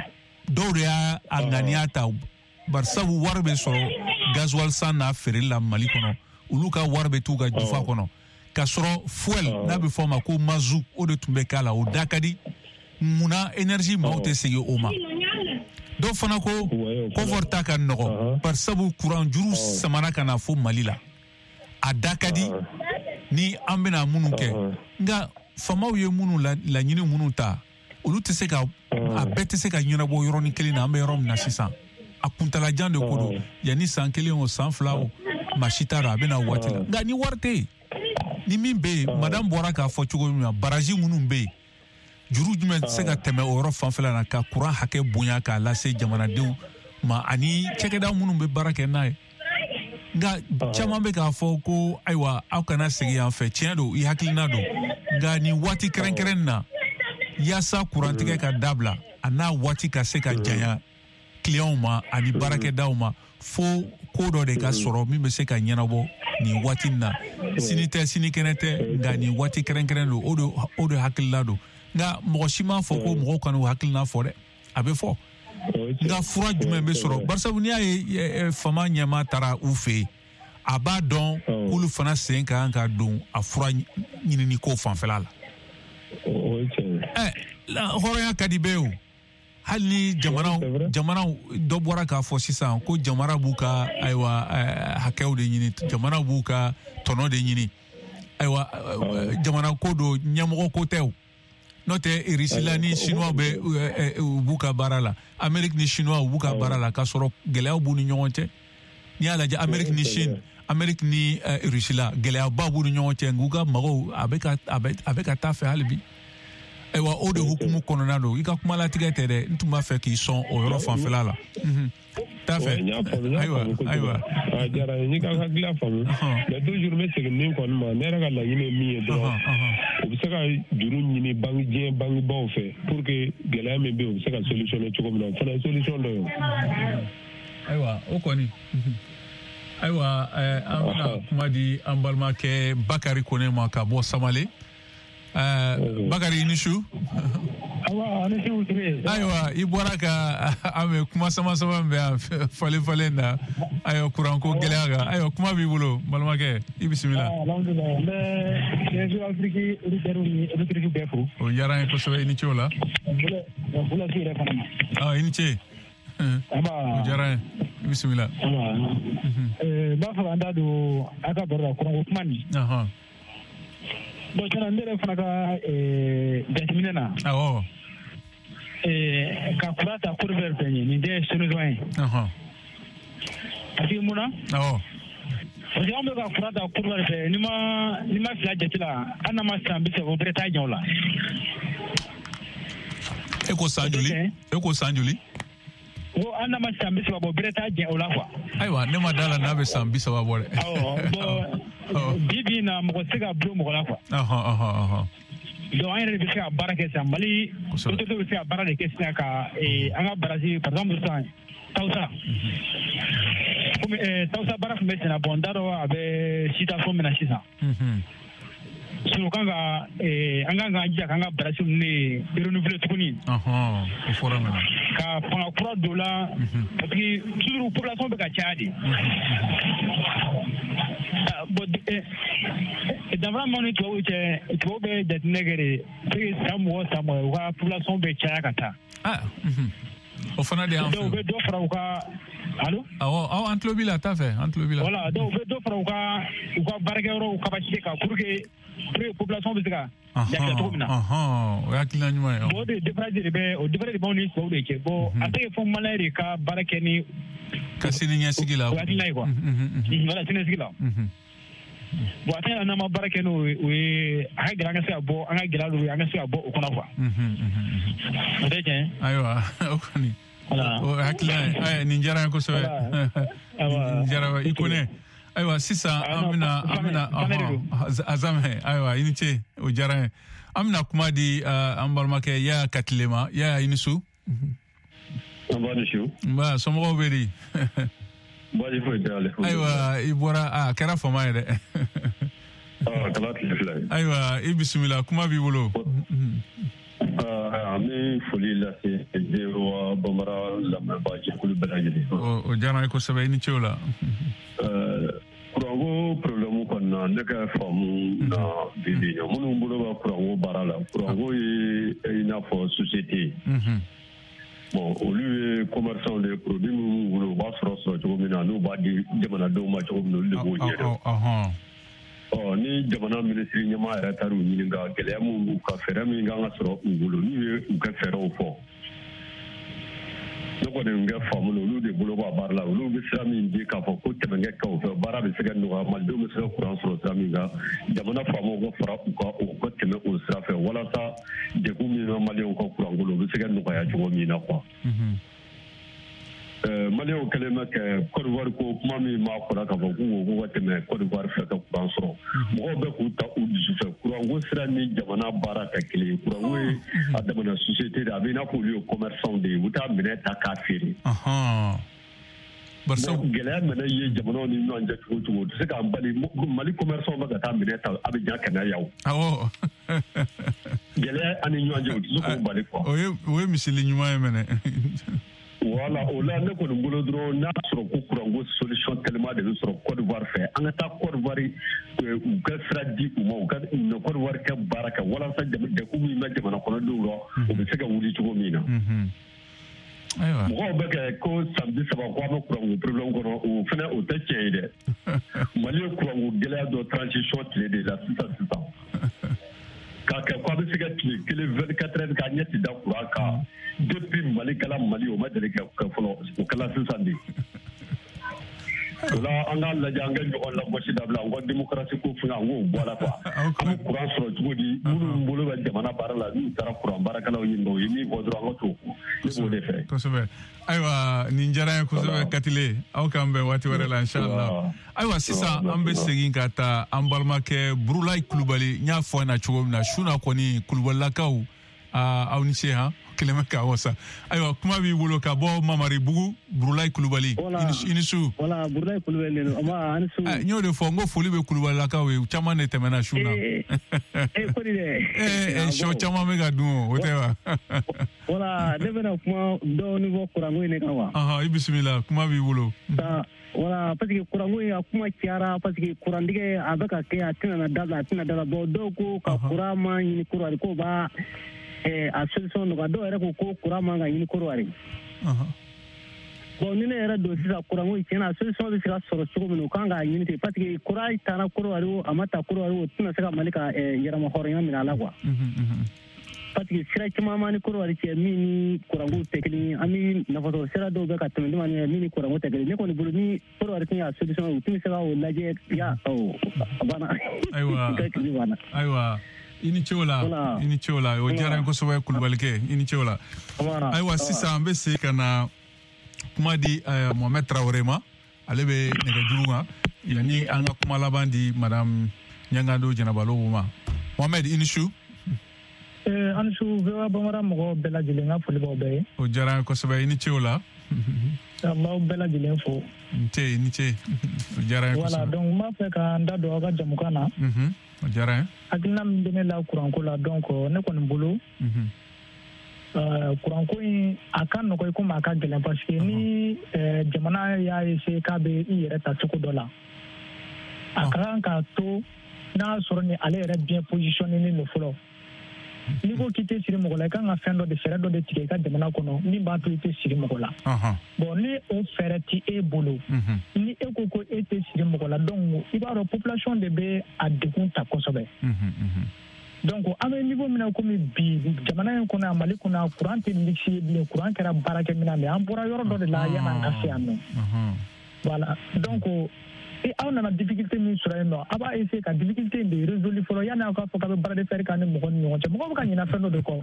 Dɔw de y'a a ŋaniya ta, barisabu wari bɛ sɔrɔ gasoil san n'a feereli la Mali kɔnɔ, olu ka wari bɛ t'u ka jufa kɔnɔ. K'a sɔrɔ fuel, n'a bɛ fɔ o ma ko mazout, o de tun bɛ k'a la, o da ka di. Munna énergie maaw tɛ segin o ma? Dɔw fana ko confort ta ka nɔgɔ, barisabu courant juru samara ka na fo Mali la, a da ka di ni an bɛna minnu kɛ. Nka faamaw ye minnu laɲini minnu ta, olu tɛ se ka a bɛɛ tɛ se ka ɲɛnabɔ yɔrɔnin kelen na. An bɛ yɔrɔ min na sisan, a kuntalajan de ko don. Yanni san kelen o, san fila o, maa si t'a dɔn a bɛ na waati la. Nka ni wari tɛ yen, ni min bɛ yen, madame bɔra k'a fɔ cogo min na, baraji minnu bɛ yen, juru jumɛn tɛ se ka tɛmɛ o yɔrɔ fanfɛla la ka courant hakɛ bonya k'a lase jamanadenw ma ani cakɛda minnu bɛ baara kɛ n'a ye? Nka caman bɛ k'a fɔ ko ayiwa, aw kana segin yan fɛ. Tiɲɛ don, i hakilina don, nka nin waati kɛrɛnkɛrɛn na, yaasa kurantigɛ ka dabila, a n'a waati ka se ka janya clients ma ani baarakɛdaw ma, fo ko dɔ de ka sɔrɔ min bɛ se ka ɲɛnabɔ nin waati in na. Sini tɛ, sinikɛnɛ tɛ, nka nin waati kɛrɛnkɛrɛn don, o de o de hakilila don. Nka mɔgɔ si m'a fɔ ko mɔgɔw kana u hakilina fɔ dɛ, a bɛ fɔ. Nka fura jumɛn bɛ sɔrɔ? Barisabu n'i y'a ye faama ɲɛmaa taara u fɛ yen, a b'a dɔn k'olu fana sen ka kan ka don a fura ɲinini ko fanfɛla la. Ɛ hɔrɔnya ka di bɛɛ ye o. Hali ni jamanaw jamanaw dɔ bɔra k'a fɔ sisan ko jamana b'u ka ayiwa hakɛw de ɲini, jamana b'u ka tɔnɔ de ɲini. Ayiwa, jamana ko don, ɲɛmɔgɔ ko tɛ o. N'o tɛ, Russie ni Chinois bɛ u b'u ka baara la, Amérique ni Chinois u b'u ka baara la, k'a sɔrɔ gɛlɛyaw b'u ni ɲɔgɔn cɛ. N'i y'a lajɛ, Amérique ni Chine, Amérique ni Russie la, gɛlɛyaba b'u ni ɲɔgɔn cɛ, nk'u ka magow a bɛ ka a bɛ a bɛ ka taa fɛ hali bi. Ayiwa, o de hukumu kɔnɔna don. I ka kuma latigɛ tɛ dɛ, n tun b'a fɛ k'i sɔn o yɔrɔ fanfɛla la. T'a fɛ. Ayiwa, ayiwa. A diyara n ye, n y'i ka hakilila faamu. Mais toujours n bɛ segin min kɔni ma, ne yɛrɛ ka laɲini ye min ye dɔrɔn, u bɛ se ka juru ɲini banque diɲɛ banquebaw fɛ pour que gɛlɛya min bɛ yen, u bɛ se ka solutionner cogo min na, o fana ye solution dɔ ye. Ayiwa, o kɔni. Ayiwa, an bɛna kuma di an balimakɛ Bakari Kone ma ka bɔ Samale. Uh, Bakari, i ni su. Ayiwa, i bɔra ka an bɛ kuma sama sama min bɛ yan falen falen na, ayiwa, kuranko gɛlɛya kan. Ayiwa, kuma b'i bolo balimakɛ, i bisimila. Alhamdulilayi, n bɛ Réseau Afrique auditeurs ni auditrices bɛɛ fo. O diyara an ye kosɛbɛ, i ni ce o la. Bulasi yɛrɛ fana ma. Ah, i ni ce. O diyara an ye, i bisimila. N b'a fɛ ka n da don a ka baro la kuranko kuma nin. Bon, tiɲɛna, ne yɛrɛ fana ka jateminɛ na. Awɔ. Eh, ka courant ta Côte d'Ivoire fɛ nin tɛ solution ye. Parce que mun na? Awɔ. Parce que anw bɛ ka courant ta Côte d'Ivoire fɛ, n'i ma n'i ma fila jate la, hali n'a ma san bi saba o bɛrɛ t'a ɲɛ o la. E ko san joli? E ko san joli? Ko hali n'a ma san bi saba bɔ, bɛrɛ t'a jɛ o la quoi. Ayiwa, ne ma da la n'a bɛ san bi saba bɔ dɛ. Awɔ, bon bi bi in na mɔgɔ tɛ se ka bulon mɔgɔ la quoi. Ɔhɔn ɔhɔn ɔhɔn. Donc an yɛrɛ de bɛ se ka baara kɛ sisan, Mali autorité bɛ se ka baara de kɛ sisan ka an ka barrage, par exemple sisan Tawusa. Komi Tawusa baara tun bɛ senna, bon n t'a dɔn a bɛ situation min na sisan. Sinon kan ka an kan k'an jija k'an ka barrage ninnu de renouveler tuguni. Ɔhɔn, o fɔra mɛnɛ. Ka fanga kura don la, parce que toujours population bɛ ka caya de. Bon danfara min ni tubabuw cɛ, tubabuw bɛ jateminɛ kɛ de, c'est que san mugan san mugan u ka population bɛ caya ka taa. Ah, o fana de y'an fɛ. Donc u bɛ dɔ fara u ka allo. Awɔ, awɔ, an tulo b'i la, taa fɛ, an tulo b'i la. Voilà, donc u bɛ dɔ fara u ka u ka baarakɛyɔrɔw capacité kan pour que pour que population bɛ se ka lafiya cogo min na. O ye hakilina ɲuman ye. Bon o de différence de bɛ o différence de b'anw ni tubabuw de cɛ. Bon a tɛ kɛ fo malien de ka baara kɛ ni. Ka sini ɲɛsigi la. O hakilina ye quoi. Voilà, sini ɲɛsigi la. Bon a tɛ n'an ma baara kɛ n'o ye, o ye a ka gɛlɛn an ka se ka bɔ an ka gɛlɛya dɔw ye, an ka se ka bɔ o kɔnɔ quoi. O tɛ tiɲɛ ye. Ayiwa, o kɔni. O hakilina ye, ayi nin diyara n ye kosɛbɛ. Nin diyara i ko ne. Ayiwa sisan an bɛna an bɛna Azamɛ, ayiwa i ni ce, o diyara n ye. An bɛna kuma di an balimakɛ Yaya Katile ma. Yaya, i ni su. Nba ni su. Nba, somɔgɔw bɛ di? Baasi foyi tɛ ale. Ayiwa, i bɔra, a kɛra fama ye dɛ. Aa, kɛra tile fila ye. Ayiwa, i bisimila, kuma b'i bolo. An bɛ foli lase V O A Bambara lamɛnbaa jɛkulu bɛɛ lajɛlen. O diyara n ye kosɛbɛ, i ni ce o la. Kuranko problème kɔni na, ne ka faamu na bi bi in na, minnu bolo bɛ kuranko baara la, kuranko ye i n'a fɔ société ye. Bon, olu ye commerçant de ye, produit minnu b'u bolo u b'a sɔrɔ sɔrɔ cogo min na, n'u b'a di jamanadenw ma cogo min na, olu de b'o ɲɛdɔn. Ɔ ni jamana minisiri ɲɛmaa yɛrɛ taar'u ɲininka gɛlɛya min b'u kan, fɛɛrɛ min kan ka sɔrɔ u bolo, n'u ye u ka fɛɛrɛw fɔ, ne kɔni kɛ faamu na, olu de bolo b'a baara la, olu bɛ sira min di k'a fɔ ko tɛmɛ kɛ o fɛ, baara bɛ se ka nɔgɔya, malidenw bɛ se ka kuran sɔrɔ sira min kan, jamana faamaw ka fara u kan, u ka tɛmɛ o sira fɛ walasa degun min bɛ maliyɛnw ka kuranko la, o bɛ se ka nɔgɔya cogo min na quoi. Maliyɛnw kɛlen bɛ kɛ Côte d'Ivoire ko kuma min b'a fɔra k'a fɔ k'u ko k'u ka tɛmɛ Côte d'Ivoire fɛ ka kuran sɔrɔ, mɔgɔw bɛ k'u ta u dusu fɛ. Kuranko sira ni jamana baara tɛ kelen ye. Kuranko ye a damana société de, a bɛ i n'a fɔ olu ye commerçant de ye, u bɛ taa minɛn ta k'a feere. Gɛlɛya minɛ ye jamanaw ni ɲɔgɔn cɛ cogo cogo, o tɛ se k'an bali. Mali commerçant bɛ ka taa minɛn ta Abidjan ka na yan. Awɔ. Gɛlɛya an ni ɲɔgɔn cɛ, o tɛ se k'o bali quoi. O ye o ye misali ɲuman ye mɛnɛ. Voilà, o la ne kɔni bolo dɔrɔn, n'a sɔrɔ ko kuranko solution tellement de bɛ sɔrɔ Côte d'Ivoire fɛ, an ka taa Côte d'Ivoire, u ka sira di u ma, u ka Côte d'Ivoire kɛ baara kɛ walasa degun min bɛ jamana kɔnɔdenw la, o bɛ se ka wuli cogo min na. Mɔgɔw bɛ kɛ ko san bi saba ko an bɛ kuranko problème kɔnɔ, o fana o tɛ tiɲɛ ye dɛ. Mali ye kuranko gɛlɛya dɔ transition tile de la sisan sisan. K'a kɛ ko a bɛ se ka tile kelen vingt-quatre heures k'a ɲɛ ti da kuran kan. Depuis Mali kɛla Mali, o ma deli ka kɛ fɔlɔ, o kɛla sisan de. O la an k'a lajɛ, an ka ɲɔgɔn lagosi dabila, an ka démocratie ko fɛngɛ, an k'o bɔ a la quoi. An bɛ kuran sɔrɔ cogo di? Minnu bolo bɛ jamana baara la, n'u taara kuran baarakɛlaw ɲininka, o ye min fɔ dɔrɔn, an ka t'o kɔ. Ne b'o de fɛ. Kosɛbɛ. Ayiwa, nin diyara n ye kosɛbɛ Katile. Aw k'an bɛn waati wɛrɛ la inchallah. Ayiwa sisan an bɛ segin ka taa an balimakɛ Burulayi Kulubali. N y'a fɔ a ɲɛna cogo min na, su na kɔni Kulubalilakaw, aw ni ce han. Kelen bɛ k'a wasa. Ayiwa, kuma b'i bolo ka bɔ Mamaribugu, Burulayi Kulubali. I ni su. Voilà, Burulayi Kulubali de don. Nba, a ni su. N y'o de fɔ, n ko foli bɛ Kulubalilakaw ye, u caman de tɛmɛna su na. Ee, ko di dɛ. Ee, sɔ caman bɛ ka dun o, o tɛ wa? Voilà, ne bɛna kuma dɔɔni fɔ kuranko in de kan wa. Ɔhɔn, i bisimila, kuma b'i bolo. Voilà, parce que kuranko in a kuma cayara, parce que kurantigɛ a bɛ ka kɛ, a tɛna na dabila, a tɛna dabila. Bon, dɔw ko ka kuran ma ɲini Korowari k'o b'a a solution nɔgɔya, dɔw yɛrɛ ko ko kuran man ka ɲini Korowari. Bon, ni ne yɛrɛ don sisan kuranko in tiɲɛna, a solution bɛ se ka sɔrɔ cogo min na, u kan k'a ɲini ten, parce que kuran taara Korowari o, a ma ta Korowari o, tɛna se ka Mali ka yɛrɛma hɔrɔnya minɛ a la quoi. Parce que sira caman b'an ni Côte d'Ivoire cɛ min ni kuranko tɛ kelen ye, an bɛ nafasɔrɔ sira dɔw bɛ ka tɛmɛ ni min ni kuranko tɛ kelen. Ne kɔni bolo ni Côte d'Ivoire tun y'a solution ye, u tun bɛ se ka o lajɛ ya a banna. Ayiwa, ayiwa, i ni ce o la, i ni ce o la, o diyara n ye kosɛbɛ Kulubalikɛ, i ni ce o la. Ayiwa, sisan an bɛ segin ka na kuma di Mohamed Traoré ma, ale bɛ nɛgɛjuru kan yanni an ka kuma laban di madame Ɲangado Jɛnɛba Lobo ma. Mohamed, i ni su. An su V O A Bambara mɔgɔw bɛɛ lajɛlen, ka foli b'aw bɛɛ ye. O diyara n ye kosɛbɛ, i ni ce o la. An b'aw bɛɛ lajɛlen fo. N ce, i ni ce. O diyara n ye kosɛbɛ. Voilà, donc n b'a fɛ ka n da don aw ka jamukan na. O diyara n ye. Hakilina min bɛ ne la kuranko la, donc ne kɔni bolo. Kuranko in a ka nɔgɔ i komi a ka gɛlɛn, parce que ni jamana y'a essayer k'a bɛ i yɛrɛ ta cogo dɔ la, a ka kan k'a to n'a sɔrɔ ni ale yɛrɛ bien positionné don fɔlɔ. N'i ko k'i tɛ siri mɔgɔ la, i kan ka fɛn dɔ de fɛɛrɛ dɔ de tigɛ i ka jamana kɔnɔ min b'a to i tɛ siri mɔgɔ la. Bon, ni o fɛɛrɛ ti e bolo, ni e ko ko e tɛ siri mɔgɔ la, donc i b'a dɔn population de bɛ a degun ta kosɛbɛ. Donc an bɛ niveau min na komi bi jamana in kɔnɔ yan, Mali kɔnɔ, courant tɛ luxe ye bilen, courant kɛra baarakɛminɛn de ye. An bɔra yɔrɔ dɔ de la yan'an ka se yan nɔ. Voilà, donc aw nana difficulté min sɔrɔ yen nɔ, a b'a essayer ka difficulté in de résoudre fɔlɔ yanni aw k'a fɔ k'a bɛ bras de fer k'a ni mɔgɔ ni ɲɔgɔn cɛ. Mɔgɔw bɛ ka ɲinɛ fɛn dɔ de kɔ.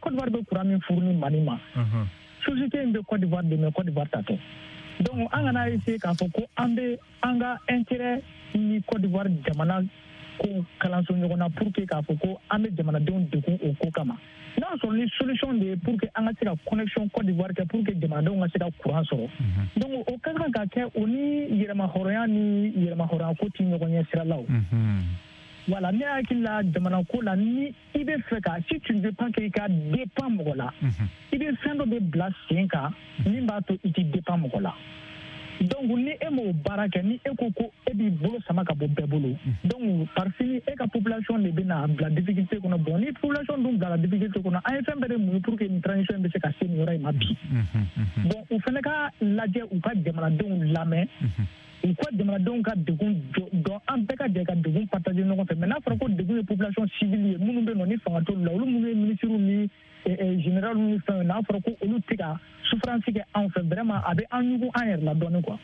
Côte d'Ivoire bɛ courant min fournir Mali ma, société in bɛ Côte d'Ivoire de, mais Côte d'Ivoire ta tɛ. Donc an kana essayer k'a fɔ ko an bɛ an ka intérêt ni Côte d'Ivoire jamana ko kalanso ɲɔgɔn na pour que k'a fɔ ko an bɛ jamanadenw degun o ko kama. N'a sɔrɔ ni solution de ye pour que an ka se ka connexion Côte d'Ivoire kɛ pour que jamanadenw ka se ka courant sɔrɔ. Donc o ka kan ka kɛ o ni yɛrɛmahɔrɔnya ni yɛrɛmahɔrɔnya ko ti ɲɔgɔn ɲɛ sira la o. Voilà, ne hakili la jamana ko la, ni i bɛ fɛ ka, si tu ne veux pas que i ka dépend mɔgɔ la, i bɛ fɛn dɔ de bila sen kan min b'a to i ti dépend mɔgɔ la. Donc ni e m'o baara kɛ, ni e ko ko e b'i bolo sama ka bɔ bɛɛ bolo, donc par fini e ka population de bɛna bila difficulté kɔnɔ. Bon, ni population dun bilala difficulté kɔnɔ, an ye fɛn bɛɛ de muɲu pour que nin transition in bɛ se ka se nin yɔrɔ in ma bi. Bon, u fana ka lajɛ, u ka jamanadenw lamɛn, u ka jamanadenw ka degun dɔn, an bɛɛ ka jɛ ka degun partager ɲɔgɔn fɛ. Mais n'a fɔra ko degun ye population civile ye, minnu bɛ yen nɔ ni fanga t'olu la, olu minnu ye ministres ni général ni fɛn, n'a fɔra ko olu tɛ ka souffrance kɛ anw fɛ, vraiment a bɛ an ɲugun an yɛrɛ la dɔɔnin quoi.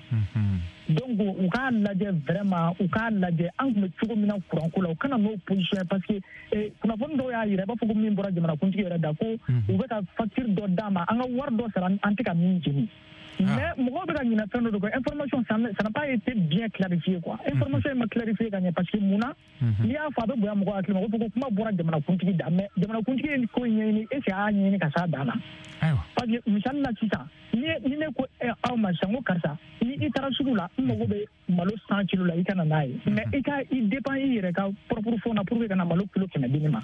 Donc u k'a lajɛ vraiment, u k'a lajɛ an tun bɛ cogo min na courant ko la, u kana n'o position ye, parce que kunnafoni dɔw y'a jira, i b'a fɔ ko min bɔra jamanakuntigi yɛrɛ da, ko u bɛ ka facture dɔ d'a ma, an ka wari dɔ sara an tɛ ka min jeni. Mais mɔgɔw bɛ ka ɲinɛ fɛn dɔ de kɔ, information ça n'a pas été bien clarifié quoi. Information in ma clarifié ka ɲɛ, parce que mun na, n'i y'a fɔ a bɛ bonya mɔgɔw hakili ma, ko fɔ ko kuma bɔra jamanakuntigi da, mais jamanakuntigi ye ko in ɲɛɲini, est ce que a y'a ɲɛɲini ka s'a dan na? Parce que misali la sisan, ni ni ne ko aw ma sisan ko karisa, ni i taara sugu la, n mago bɛ malo cent kilo la, i ka na n'a ye, mais i ka i dépend i yɛrɛ ka propre fond na pour que ka na malo kilo kɛmɛ di ne ma.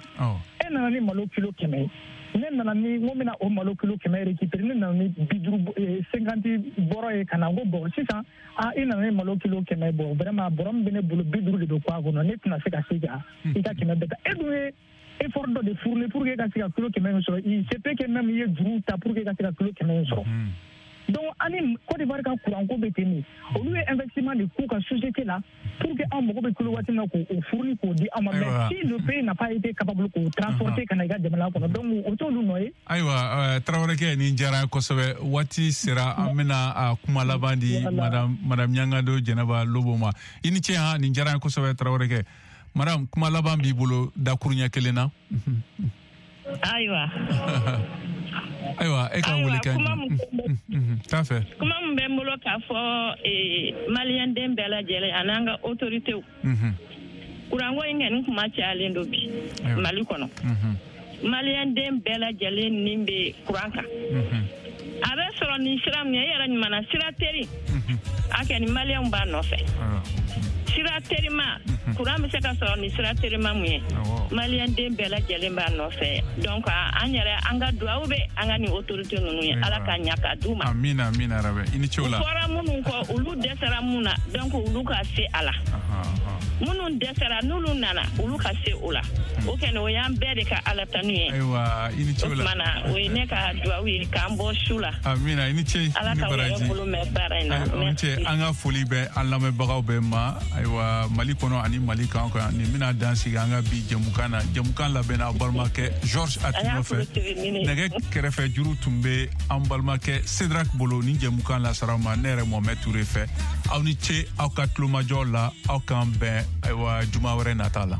E nana ni malo kilo kɛmɛ ye, ne nana ni n ko n bɛna o malo kilo kɛmɛ récupérer, ne nana ni bi duuru cinquante bɔrɔ ye ka na, n ko bon sisan ah i nana ni malo kilo kɛmɛ, bon vraiment bɔrɔ min bɛ ne bolo bi duuru de bɛ kɔ a kɔnɔ, ne tɛna se ka se ka i ka kɛmɛ bɛɛ ta. E dun ye effort dɔ de fournir pour que ka se ka kilo kɛmɛ in sɔrɔ, il se peut que même i ye juru ta pour que ka se ka kilo kɛmɛ in sɔrɔ. Donc ani Côte d'Ivoire ka courant ko bɛ ten de, olu ye investissement de k'u ka société la pour que anw mago bɛ kilo waati min na k'o fournir k'o di anw ma, mais si le pays n'a pas été capable k'o transporter ka na i ka jamana kɔnɔ, donc o t'olu nɔ ye. Ayiwa, Tarawelekɛ, nin diyara n ye kosɛbɛ. Waati sera an bɛna a kuma laban di madame madame Ɲangado Jɛnɛba Lobo ma. I ni ce han, nin diyara n ye kosɛbɛ Tarawelekɛ. Madame, kuma laban b'i bolo dakuruɲɛ kelen na. Ayiwa. Ayiwa, e ka wele kan t'a fɛ. Kuma min bɛ n bolo k'a fɔ maliyɛn den bɛɛ lajɛlen ani an ka autorités, kuranko in kɔni kuma cayalen don bi Mali kɔnɔ. Maliyɛn den bɛɛ lajɛlen ni bɛ kuran kan. A bɛ sɔrɔ nin sira min ye, e yɛrɛ ɲuman na sira teri, a kɛ ni maliyɛnw b'a nɔfɛ. Sira terima, kuran bɛ se ka sɔrɔ ni sira terima mun ye, maliyɛn den bɛɛ lajɛlen b'a nɔfɛ. Donc an yɛrɛ an ka duwawu bɛ an ka nin autorité ninnu ye, Ala ka ɲa ka d'u ma. Amina, amina rabi. I ni ce o la. U fɔra minnu kɔ, olu dɛsɛra mun na, donc olu ka se a la. Minnu dɛsɛra n'olu nana, olu ka se o la. O kɛni o y'an bɛɛ de ka Ala tanu ye. Ayiwa, i ni ce o la. O tuma na o ye ne ka duwawu ye k'an bɔ su la. Amina, i ni ce. Ala ka yɛrɛ bolo mɛn baara in na. Merci. An ka foli bɛ an lamɛnbagaw bɛɛ ma. Ayiwa, Mali kɔnɔ ani ani Mali kan kan. Nin bɛna dan sigi an ka bi jɛmukan na. Jɛmukan labɛnna aw balimakɛ Georges Attino fɛ. Nɛgɛ kɛrɛfɛ juru tun bɛ an balimakɛ Cédric bolo. Nin jɛmukan lasara ma ne yɛrɛ Mohamed Touré fɛ. Aw ni ce aw ka tulomajɔ la. Aw k'an bɛn ayiwa juma wɛrɛ nata la.